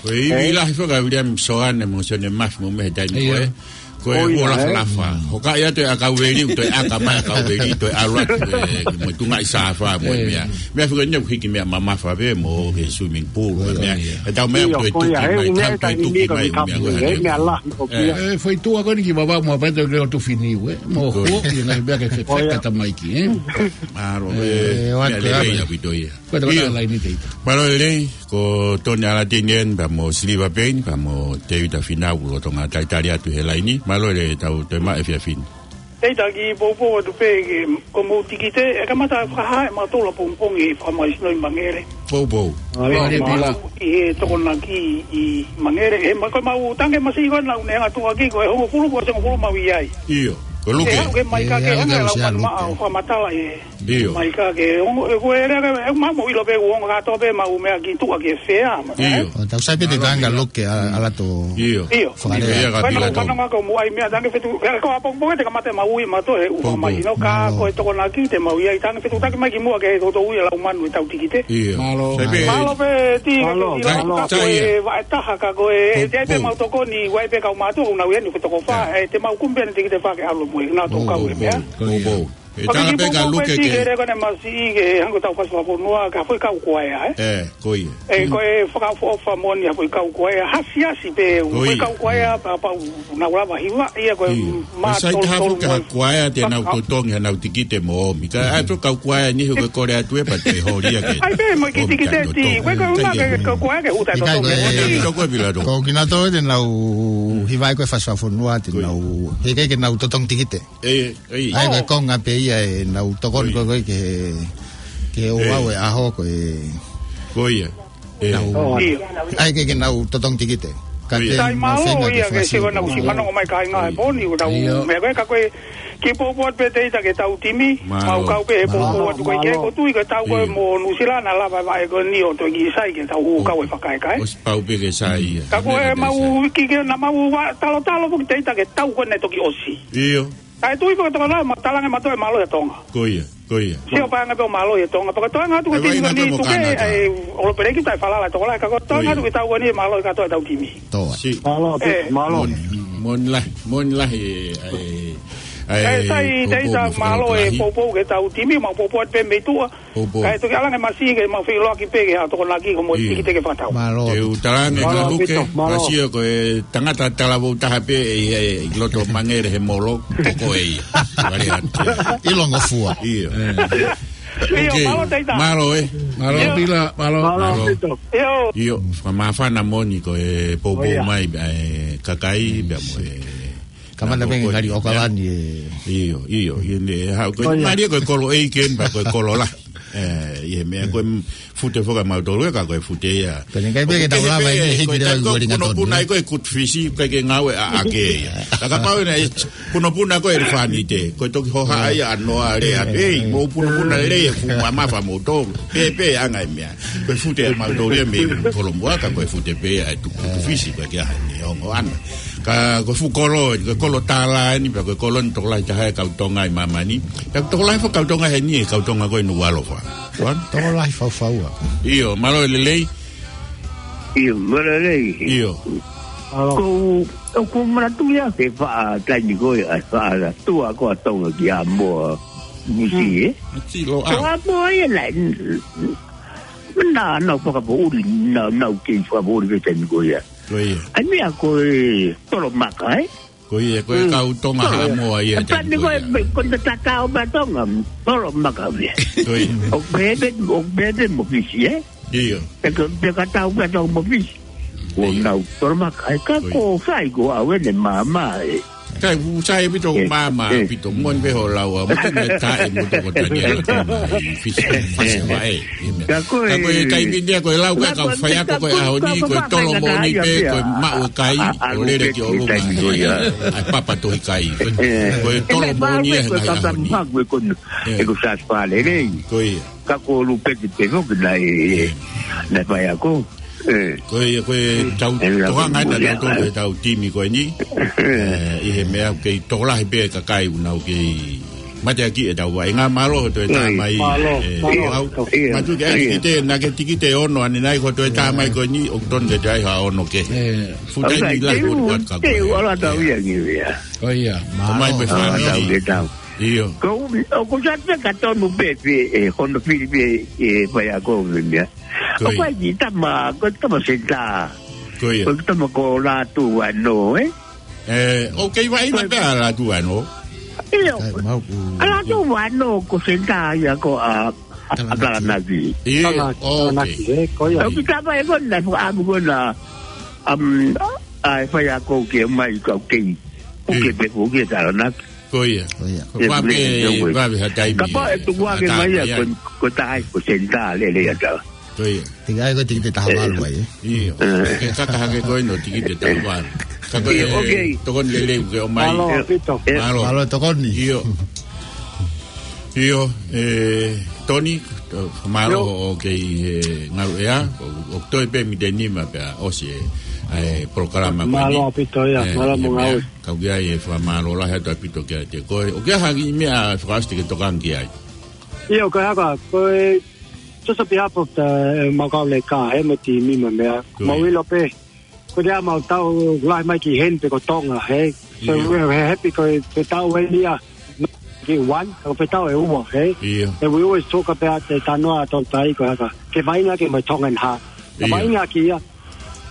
Ko e ivi Ē? lahi faka William Soane mo Sione Mafi mo mei he taimi ko ʻIo. ē. Ko e Ko ia, ua lafa ē? lafa. Hoka ia toe ʻakau veli, toe ʻaka mai ʻakau veli, toe ʻalu atu, ē, mo e tunga ʻi Safa mo e Ē. meʻa. Meʻa fika ni hiki meʻa mamafa pē mo ke swimming pool, Ko ia. meʻa. ʻE tau meʻa ʻIo, toe ko ia, tuki ē, mai, meʻa tau toe taimi tuki ni ko mai, e kapu, meʻa ko ē, ē. meʻa lahi ko Ē. ia. Ē, foʻi tuʻa ko eni ki vavau mo e pē toe ke o tu fini ue. Mo Ko ia. huo, ki ngai meʻa ke fe-, Ko ia. feka tamaiki, ē. Mālō, Ē, ē, o meʻa atu lelei ʻalu. ʻaupito ia. Ko e tau ʻIo. la laini teita. Mālō lelei, ko Tony Alatini eni, pea mo Siliva Payne, pea mo Tevita Finau, lolotonga talitali atu he laini. Mālō lelei tau toe maʻu efiafi ni. Teita kiʻi poupou atu pē ke ko mou tikite, ʻe kamata fakahā ʻe mautolu ʻapongipongi ʻi he fakamaisino ʻi Mangere. Poupou. Mālō, Mālō, mālō. ʻI he tokonaki ʻi Mangere, ʻe ma-, ko e mau tangi masiʻi ko ē naʻa ne ngatu ʻaki ko e hongofulu ko e hongofulu mau ʻi ai. ʻIo, ko Luke. ʻE, ʻe, ke mai Ē, ka ke ʻe, anga ʻe, lau ʻe, mani maʻa Luke. ʻo fakamatala ē. ʻIo. Mai ka ke, ongo, ʻe, ko e lea ke, ʻe, ma mo ʻilo pē ʻoku ongo kātoa pē mau meʻa ki tuʻa ke fea, ma, ʻIo. ʻE? ʻO tau sai pē te Mālō, tanga ʻio. Luke, ʻa, ʻa lato ʻIo. ʻIo. fakalea. ʻIo, ka Ko e pila naʻa tau. fanongo ko mou ʻai meʻa, tangi fetu, ʻe, ko ʻapongipongi te kamata mau ui mautolu he ʻū Poupou. fakamasino ka Mālō. ko e tokonaki te mau ʻi ai, tangi fetuʻutaki mai ki muʻa ke he toutou ui ʻa lau manu ʻe tau tikite. ʻIo. Mālō. Sai pē. Mālō pē, ti, Mālō, ki, ki, Sai, mālō. ka ko sai ia. e, vaʻe taha ka ko e, Poupou. te, te mau tokoni, ua e pē kau mātuʻa, ʻoku nau ʻi ai ni ko e toko fā, Ē. ʻe, te mau kumi pē ʻene tikite fā ke ʻalu mo e, nau tō kau Poupou. e meʻa. Ko ia. Poupou. ʻE Paki tala ki pē ka Poupou Luke pē ti ke ke lea ko ʻene masiʻi ke hangē ko e tau fasi fakafonua, ka foʻi kau kuaea, ē? Ē, ko ia. ʻE, ko e fakaʻofoʻofa moʻoni ʻa e foʻi kau kuaea, hasiasi pē, Ko foʻi ia. kau kuaea, pea pau, nau lava hiva, ia ko e ʻIo. mā Ko sai tolu taha tolu foki ha mo e kuaea te nau faka- totongi hanau tikite mo ʻomi. Ka ʻai foki kau kuaea ni he ko e kole atu ē pea te holi ia ke ʻAi pē, mo e ki ʻomi tikite ka ti, totongi. ko e kau Kai ngā ke ke. kau kuaea ke huta ʻIkai totongi. ko e Ē, toko pila toko. Ko kinautolu te nau hiva ai ko e fasi fakafonua te Ko ia. nau, he ke ke nau totongi tikite. ʻE, ʻe. ʻAi ko e Oh. konga pē ia ʻenau tokoni Ko ia. ko ē ke, ke ʻo ʻE. au e ʻaho ko e Ko ia. ʻE. nau, ʻAi ke, ke nau totongi tikite. Ka Ko ia. te Tai mau mālō feinga ke ia ke fakasio. siva nau si fanongo mai kāinga he pōni, ʻo tau Ia. meʻa ko ē ka ko e ki Poupou atu pē teita ke tau timi, Mālō. mau kau pē he Poupou Mālō, atu ko e ke mālō. ko tui ke tau ko e Ia. mo Nuʻusila naʻa lava e vaʻe ko eni ʻo toe ki sai ke tau hū kau e fakaekae. ʻOsi pau pē ke sai ia. Ka ko e Meʻa mau sai. ki ke na mau va talotalo foki teita ke tau ko ē ne toki ʻosi. ʻIo. Kae tui pē ko e tokolahi, ma talange ma toe mālō ʻia Tonga. Ko ia, ko ia. Sio pē ange pē ʻo mālō ʻia Tonga. Pea ko e toenga atu ke Ai, timi vaʻinga ni pē mo tuke, Kanata. ai, ʻolopeleki tai falala tokolahi. Ka ko e toenga Ko ia. atu ke tau ko eni mālō ʻia kātoa ʻetau timi. Toa. Si. Mālō, Ē. mālō. Moʻoni, moʻoni lahi, moʻoni lahi, ʻe, ʻe, ʻe, ʻE, sai, Poupou teita mo mālō e Fakalotu lahi. Poupou ke tau timi, mau Poupou atu pē mei tuʻa. Poupou. Kae toki ʻalu ange masiʻi ke mau feʻiloaki pē ke ha tokonaki ko mo Ia. tikite ke fakatau. Mālō. Te u talaange Mālō, ka Luke, Pito, mālō. ka sio ko e tangata talavou taha pē ʻe, ʻe, ʻi loto Mangere he Molo, ko koe ia. Vale atu. ʻIlongofua. ʻIo. ʻIo, Ok. mālō teita. Mālō, ē. Mālō, ʻIo. Pila, mālō. Mālō, Mālō. Pito. ʻIo. ʻIo, fakamāfana moʻoni ko e Poupou ʻIo. mai, ʻe, kakai, pea mo e Kamata pē ngali ʻOkalani ē. ʻIo, ʻio, ʻio, ne, ha, ko e, mālie ko e kolo ʻeiki eni pea ko e kolo lahi. ʻE, ʻi he meʻa ko e fute foki ʻa mautolu ē ka ko e fute ia. Ko e ʻikai pē ke tau lava ʻi he hiki leva ʻi Wellington, punopuna ē. Ko e kutufisi, ʻikai ke ngāue ʻaʻake ia. Ka kapau ʻe, punopuna ko e ʻelefānite. Ko e toki hohaʻa ia ʻa noa lea. ʻEi, mou punopuna lelei e fuʻu mamafa moutolu. Pē, pē anga e meʻa. Ko e fute ʻa mautolu ia mei Kolomuʻa ka ko e fute pē ʻa e tuku, kutufisi ko e ke aha ni ongo ana. Ka ko e fuʻu kolo, ko e kolo tālā eni, pea ko e kolo eni tokolahi taha e kau Tonga ʻi māmani. Pea tokolahi foki kau Tonga heni e kau Tonga ko ē Nukuʻalofa. Tokolahi faufaua. ʻIo, mālō e lelei. ʻIo, mālō e lelei. ʻIo. Ko, ʻoku ou manatuʻi ʻa e faʻa taimi ko ē, ʻa e faʻa tua ko ē ʻa Tonga ki Haʻamoa, Nuʻusila, ē? Ko Haʻamoa ia naʻe, naʻa nau fakapoʻuli, naʻa nau kei fakapoʻuli pē taimi ko ia. Ko ia. ʻA e meʻa ko e tolo maka, ē? Ko ia, ko e kau Tonga Haʻamoa ia. ʻE pani ko e, ko e tatau pē Tonga, tolo maka ia. Ko ia. ʻO pehē, ʻo pehē mo Fisi, ē? ʻIo. Pea ka, pea ka tau pē Tonga mo Fisi. Ko nau tolo maka, ʻe ka ko fai ko au ʻene māmā, ē. Kai, u sai pito māmā, pito moni pē ho lau, a, mo te me tae mo toko tani ala tama, ʻi Fisi, Fasi, ʻe. Ka ko e, ka ko e taimi ni ko e lau, ka ko e faiako ko e ʻaho ni, ko e tolo moʻoni pē, ko e maʻu e kai, ʻo lele ki ʻolunga. ʻAi papa tohi kai. Ko e tolo moʻoni e, ko e mai ʻaho ni. Ko e ko sa fale, nei. Ko ia. Ka ko Lupeki pē foki naʻe, naʻe faiako. Ko ia, ko e tau, tohanga ena nautolu e tau timi ko eni. ʻI he meʻa kei tokolahi pē kakai ʻoku nau kei mateaki e tau vaʻinga. Mālō hoʻo toe tā mai. Mālō, mālō. Mātuʻaki ʻai tikite, naʻa ke tikite ono, ʻanenai hoʻo toe tā mai ko eni, ʻoku tonu ke toe ʻai ha ono kehe. Futai ni lahi ko atu ka ko e. Ala tau ia ngi ia. Ko ia, mālō. Mai pē fānau. ʻIo. Ko, ʻoku sa te ka tonu pē, pē, ʻe, hono fili pē, ʻe, faiako pē meʻa. Ko ia. ʻOku ʻi ai e tama, ko e tama senitā. Ko ia. Ko e tama ko Lātū Vano, ē? ʻE, ʻoku kei vaʻinga pē ʻa Lātū Vano. ʻIo. ʻA Lātū Vano ko senitā ia ko ʻa, ʻa Talanaki. ʻIo, Talanaki, ʻoku kei. Ko ia. ʻOku tama e kona, ʻamu kona, ʻa e faiako ke mai kau kei. ʻOku kei pē ko ke Talanaki. Ko ia. Ko ia. Ko e vave, vave ha taimi. Kapau ʻe tuku ake mai ia, ko, ko e taha ko e senitā lele ia tau. Ko ia. Te ngai ko e tikite taha valu ai, ē? ʻIo. Ke kaka hake ko ē no tikite taha valu. Ka ko e tokoni lelei ke ʻomai. Mālō ʻaupito. Mālō. Mālō tokoni. ʻIo. ʻIo, ʻe, Toni, mālō hoʻo kei, ʻe, ngalu ea, ʻo, ʻo toe pē mite nima pea ʻosi e, ʻa e polokalama ko eni. Mālō ʻaupito ia, mālō mo ngāue. Kau ki ai e fakamālō lahi atu ʻaupito kiate koe. ʻOku ʻi ai ha kiʻi meʻa fakaʻosi te ke tokanga ki ai? ʻIo, ko e hā, ko e, just on behalf of the, ʻe, Makauleka, he mo e timi mo e meʻa. Mau ʻilo pē, ko e ʻa mau tau lahi mai ki heni pē ko Tonga, hē? So we're happy ko e, ko e tau eni ia, ki one, ko e tau ʻe ua, hē? ʻIo. And we always talk about the tanoa ʻa Tonga, ko e hā, ke vaʻinga ke mai Tongan heart. Ka vaʻinga ki ia,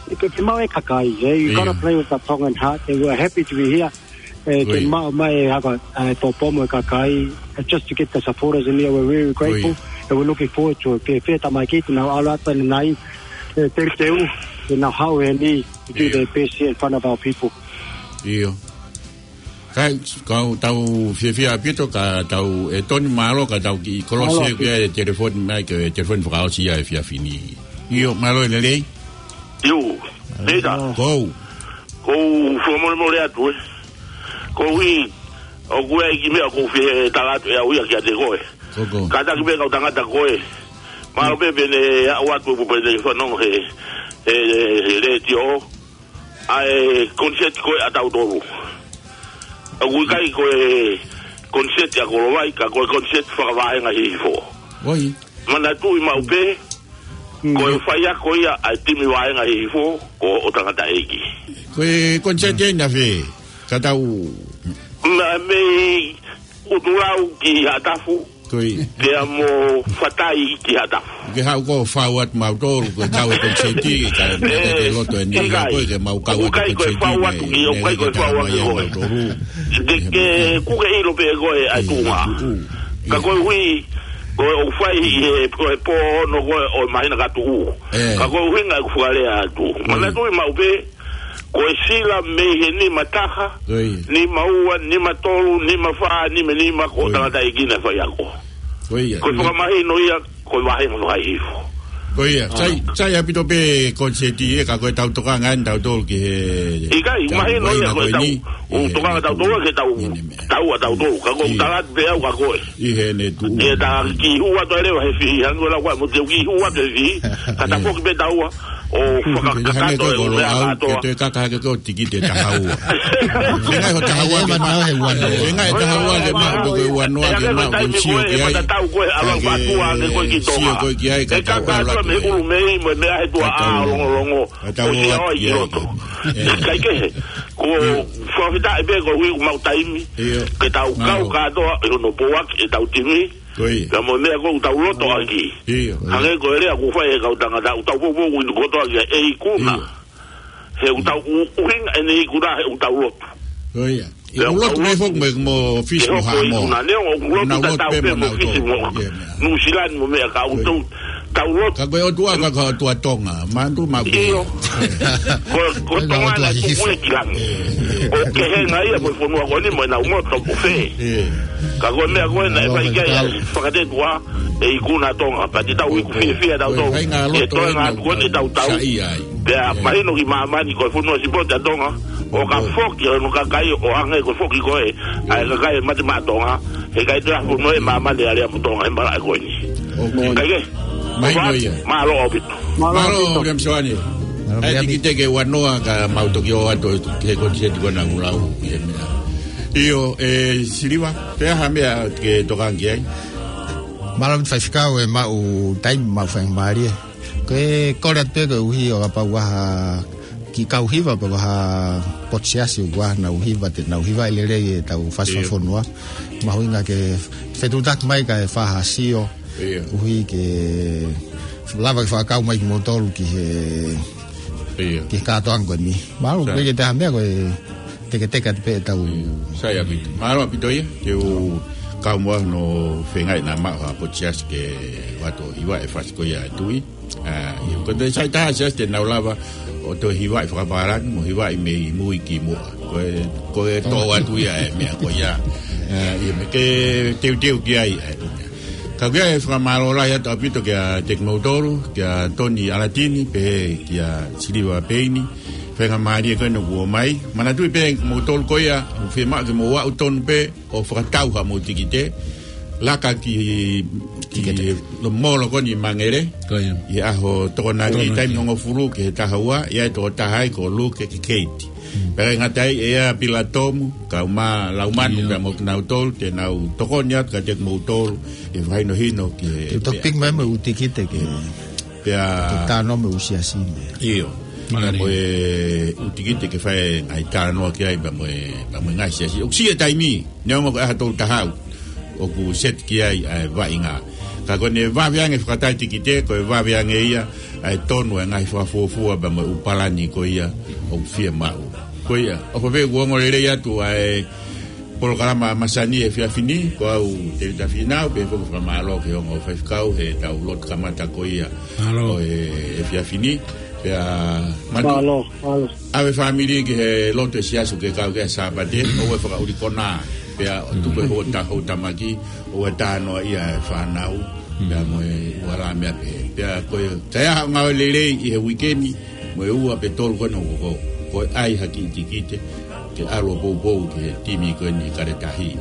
Ke, ke maʻu e kakai, eh, you gotta play with the Tongan heart, and we're happy to be here. Eh, ke maʻu mai e haka, eh, pōpomo e kakai, eh, just to get the supporters in here, we're really grateful, and we're looking forward to it. Ke fie tamaiki, te nau ʻalu atu ʻanenai, eh, teuteu, te nau haʻu heni to do their best here in front of our people. ʻIo. Kai, kau tau fiefia ʻaupito ka tau, ʻe Toni, mālō ka tau kiʻi kolose pē e telefoni mai ke telefoni fakaʻosi ia he efiafi ni. ʻIo, mālō e lelei. ʻIo, Peita. Kou. Kou fakamolemole atu, ē. Kou ʻi, ʻoku ʻi ai e kiʻi meʻa kou fie tala atu ʻe au ia kiate koe. Kātaki pē kau tangata ko ē. Mālō pē pē ne aʻu atu ʻo pē ne fanongo he, he, he letiō. ʻA e koniseti ko ē ʻa tautolu. ʻOku ʻikai ko e koniseti ʻa Kolovai, ka ko e koniseti fakavāhenga Hihifo. Manatuʻi maʻu pē, ko e faiako ia ʻa e timi vāhenga Hihifo, ko ʻOtangataʻeiki. Ko e koniseti ʻe naʻe fē, ka tau. Mei ʻUtulau ki Haʻatafu, pea mo Fatai ki Haʻatafu. Ke haʻu ko fau atu mautolu, ko e kau e koniseti, ka e loto eni, ko e ke mau kau e koniseti, ʻoku ʻikai ko e fau atu ki, ʻoku ʻikai ko e fau atu ki koe. Te ke kuke ʻilo pē koe ʻa e tuʻunga. Ka koeʻuhi, ko e ʻoku fai ʻi he, ko e pō ono ko ē ʻo e māhina ka tuʻu. Ka koeʻuhi ngā ʻoku fakalea atu. Manatuʻi maʻu pē, Ko e sila mei he nima taha, Ko ia. nima ua, nima tolu, nima fā, nima nima, ko Ko ia. tangata e kina faiako. Ko ia. Ko e Ne- fakamahino ia, ko e vahenga no hai ifo. Ko ia, Ah. sai, sai ʻaupito pē koniseti ē, ka ko e tau tokanga eni tautolu ki he ʻIkai, mahino ia ko e tau, ʻo tokanga tautolu ke tau, tau a tautolu, ka ko e tala atu pē au ka ko e. ʻI he ne tuʻu. Ia ta ki hua to leva he fihi, hangē ko e lau ko e mo te ki hua to he fihi, ka ta foki pē taua, ʻo fakakakato e ʻū meʻa kātoa. Ke te kaka hake ko e tikite taha ua. Fengai ho taha ua ke ma. Fengai taha ua ke ma, ko e ua noa ke ma, ko e sio ki ai. Ka ke sio ko e ki ai, ka tau ʻalu atu mei ʻulu mei, mo e meʻa he tuʻa ʻa longolongo. Ka tau ʻalu atu ki ai. Kai kehe, ko fakafetaʻi pē ko ui mau taimi, ke tau kau kātoa, ʻi hono pouaki, ʻe tau timi, Ko ia. Ka mo e meʻa ko ʻetau loto ʻaki. Ia. Hangē ko e lea kuo fai ʻe he kau tangata, ʻetau poupou ʻi he kotoa ki he ikuna. Ia. He ʻetau ʻu-, ʻuhinga ʻene ikuna, he ʻetau loto. Ko ia. ʻI he loto mai foki mo, mo Fisi mo Haʻamoa. Ikuna, neongo ʻoku loto tatau pē mo Fisi mo Nuʻusila ni mo meʻa ka ʻetau tau loto. Ka ko e ʻOtua ka ko e ʻOtua Tonga. Mantu ma Io. Ko, ko Tonga na ʻoku ʻi langi. ʻO kehe ngai ia mo e fonua ko eni mo e nau moto ʻo fē. Ka ko e meʻa ko ena ʻe fai ki ai fakatetua e ikuna Tonga. Pea te tau iku fiefia tautolu. ʻE toe ngā ko eni tautau. Pea mahino ki māmani ko e fonua sipote ʻa Tonga. ʻO ka foki ʻo no kakai ʻo hangē ko e foki ko e. ʻA e kakai mate maʻa Tonga. He kai te afu no e māmani ʻa lea mo Tonga he malaʻe ko eni. Kai ke? Mālō ʻaupito. Mālō ʻaupito. Mālō, William Soane. ʻAi tikite ke ua noa ka mau toki ō atu ke koniseti ko ena kuo lau ʻi he meʻa. ʻIo, ʻe Siliva, pe ʻaha meʻa ke tokanga ki ai. Mālō ʻaupito faifekau ʻe maʻu taimi maʻu faingamālie. Ko e kole atu pē koeʻuhi ʻo kapau ʻaha kiʻi kau hiva pe ko ha potu siasi ʻoku ʻaha nau hiva te nau hiva ʻe lelei ʻetau fasi fakafonua. Mahuʻinga ke fetuʻutaki mai kae fai ha sio. ʻUhi ke lava ke fakakau mai kimoutolu ki he, ki he kātoanga ko eni. Mālō, ko e ke te ha meʻa ko e teketeke atu pē ʻetau. Sai ʻaupito. Mālō ʻaupito ia, te u kau mo ʻaho no fengai na maʻu ha potu siasi ke vato hiva e fasi ko ia e tui. ʻA, ʻio, ko te sai taha siasi te nau lava ʻo toe hivaʻi fakapālangi, mo hivaʻi mei mui ki muʻa. Ko e, ko e tō atu ia e meʻa ko ia. ʻA, ʻio, me ke teuteu ki ai, ʻa, ka ko ia e fakamālō lahi atu ʻaupito kia Teki Moutolu, kia Toni ʻAlatini, pehē kia Siliva Peini, faingamālie ko ena kuo ʻomai. Manatuʻi pē moutolu ko ia, ʻoku fiemaʻu ke mou aʻu tonu pē, ʻo fakatau ha mou tikite, laka ki, ki lo molo ko eni Mangere, ʻi he ʻaho Tokonaki, taimi hongofulu ki he taha ua, ʻi ai e tokotaha ai ko Luke ki Keiti. Pea ʻe ngata ai ʻe ʻa Pila Tomu, kau mā Laumanu, pea mo kinautolu, te nau tokoni atu kiate kimoutolu, ʻi he fakahinohino ki he. Te u toki piki mai mo e ʻū tikite ke. Pea. Ke tānoa mo e ʻū siasi. ʻIo. Pea mo e ʻū tikite ke fai e ngaahi tānoa ki ai pea mo e, pea mo e ngaahi siasi. ʻOku siʻi e taimi, neongo ko e ʻaho tolu taha ua ʻoku seti ki ai ʻa e vaʻinga. Ka ko ʻene vave ange fakatai tikite, ko e vave ange ia ʻa e tonu e ngaahi fakafuofua pea mo e ʻū palani ko ia ʻoku fiemaʻu. Ko ia, ʻofa pē kuo ongo lelei atu ʻa e polokalama masani he efiafi ni, ko au Tēvita Fīnau, pea foki fakamālō ki he ongo faifekau he tau lotu kamata ko ia ʻo e efiafi ni, pea mālō, mālō. ʻAve fāmili ki he lotu e siasi ke kau ki ai Sāpate, ʻoua ʻe fakaʻuli konā, pea ʻo tuku e hota houtamaki, ʻoua ʻe tānoa ia e fānau, pea mo e ua la meʻa pē. Pea ko e, ka ʻi ai ha ngāue lelei ʻi he uike ni, mo e ua pe tolu ko ena ʻoku koko. Ko e ʻai ha kiʻi tikite, ke ʻalu ʻo poupou ki he timi ko eni Kaletahi.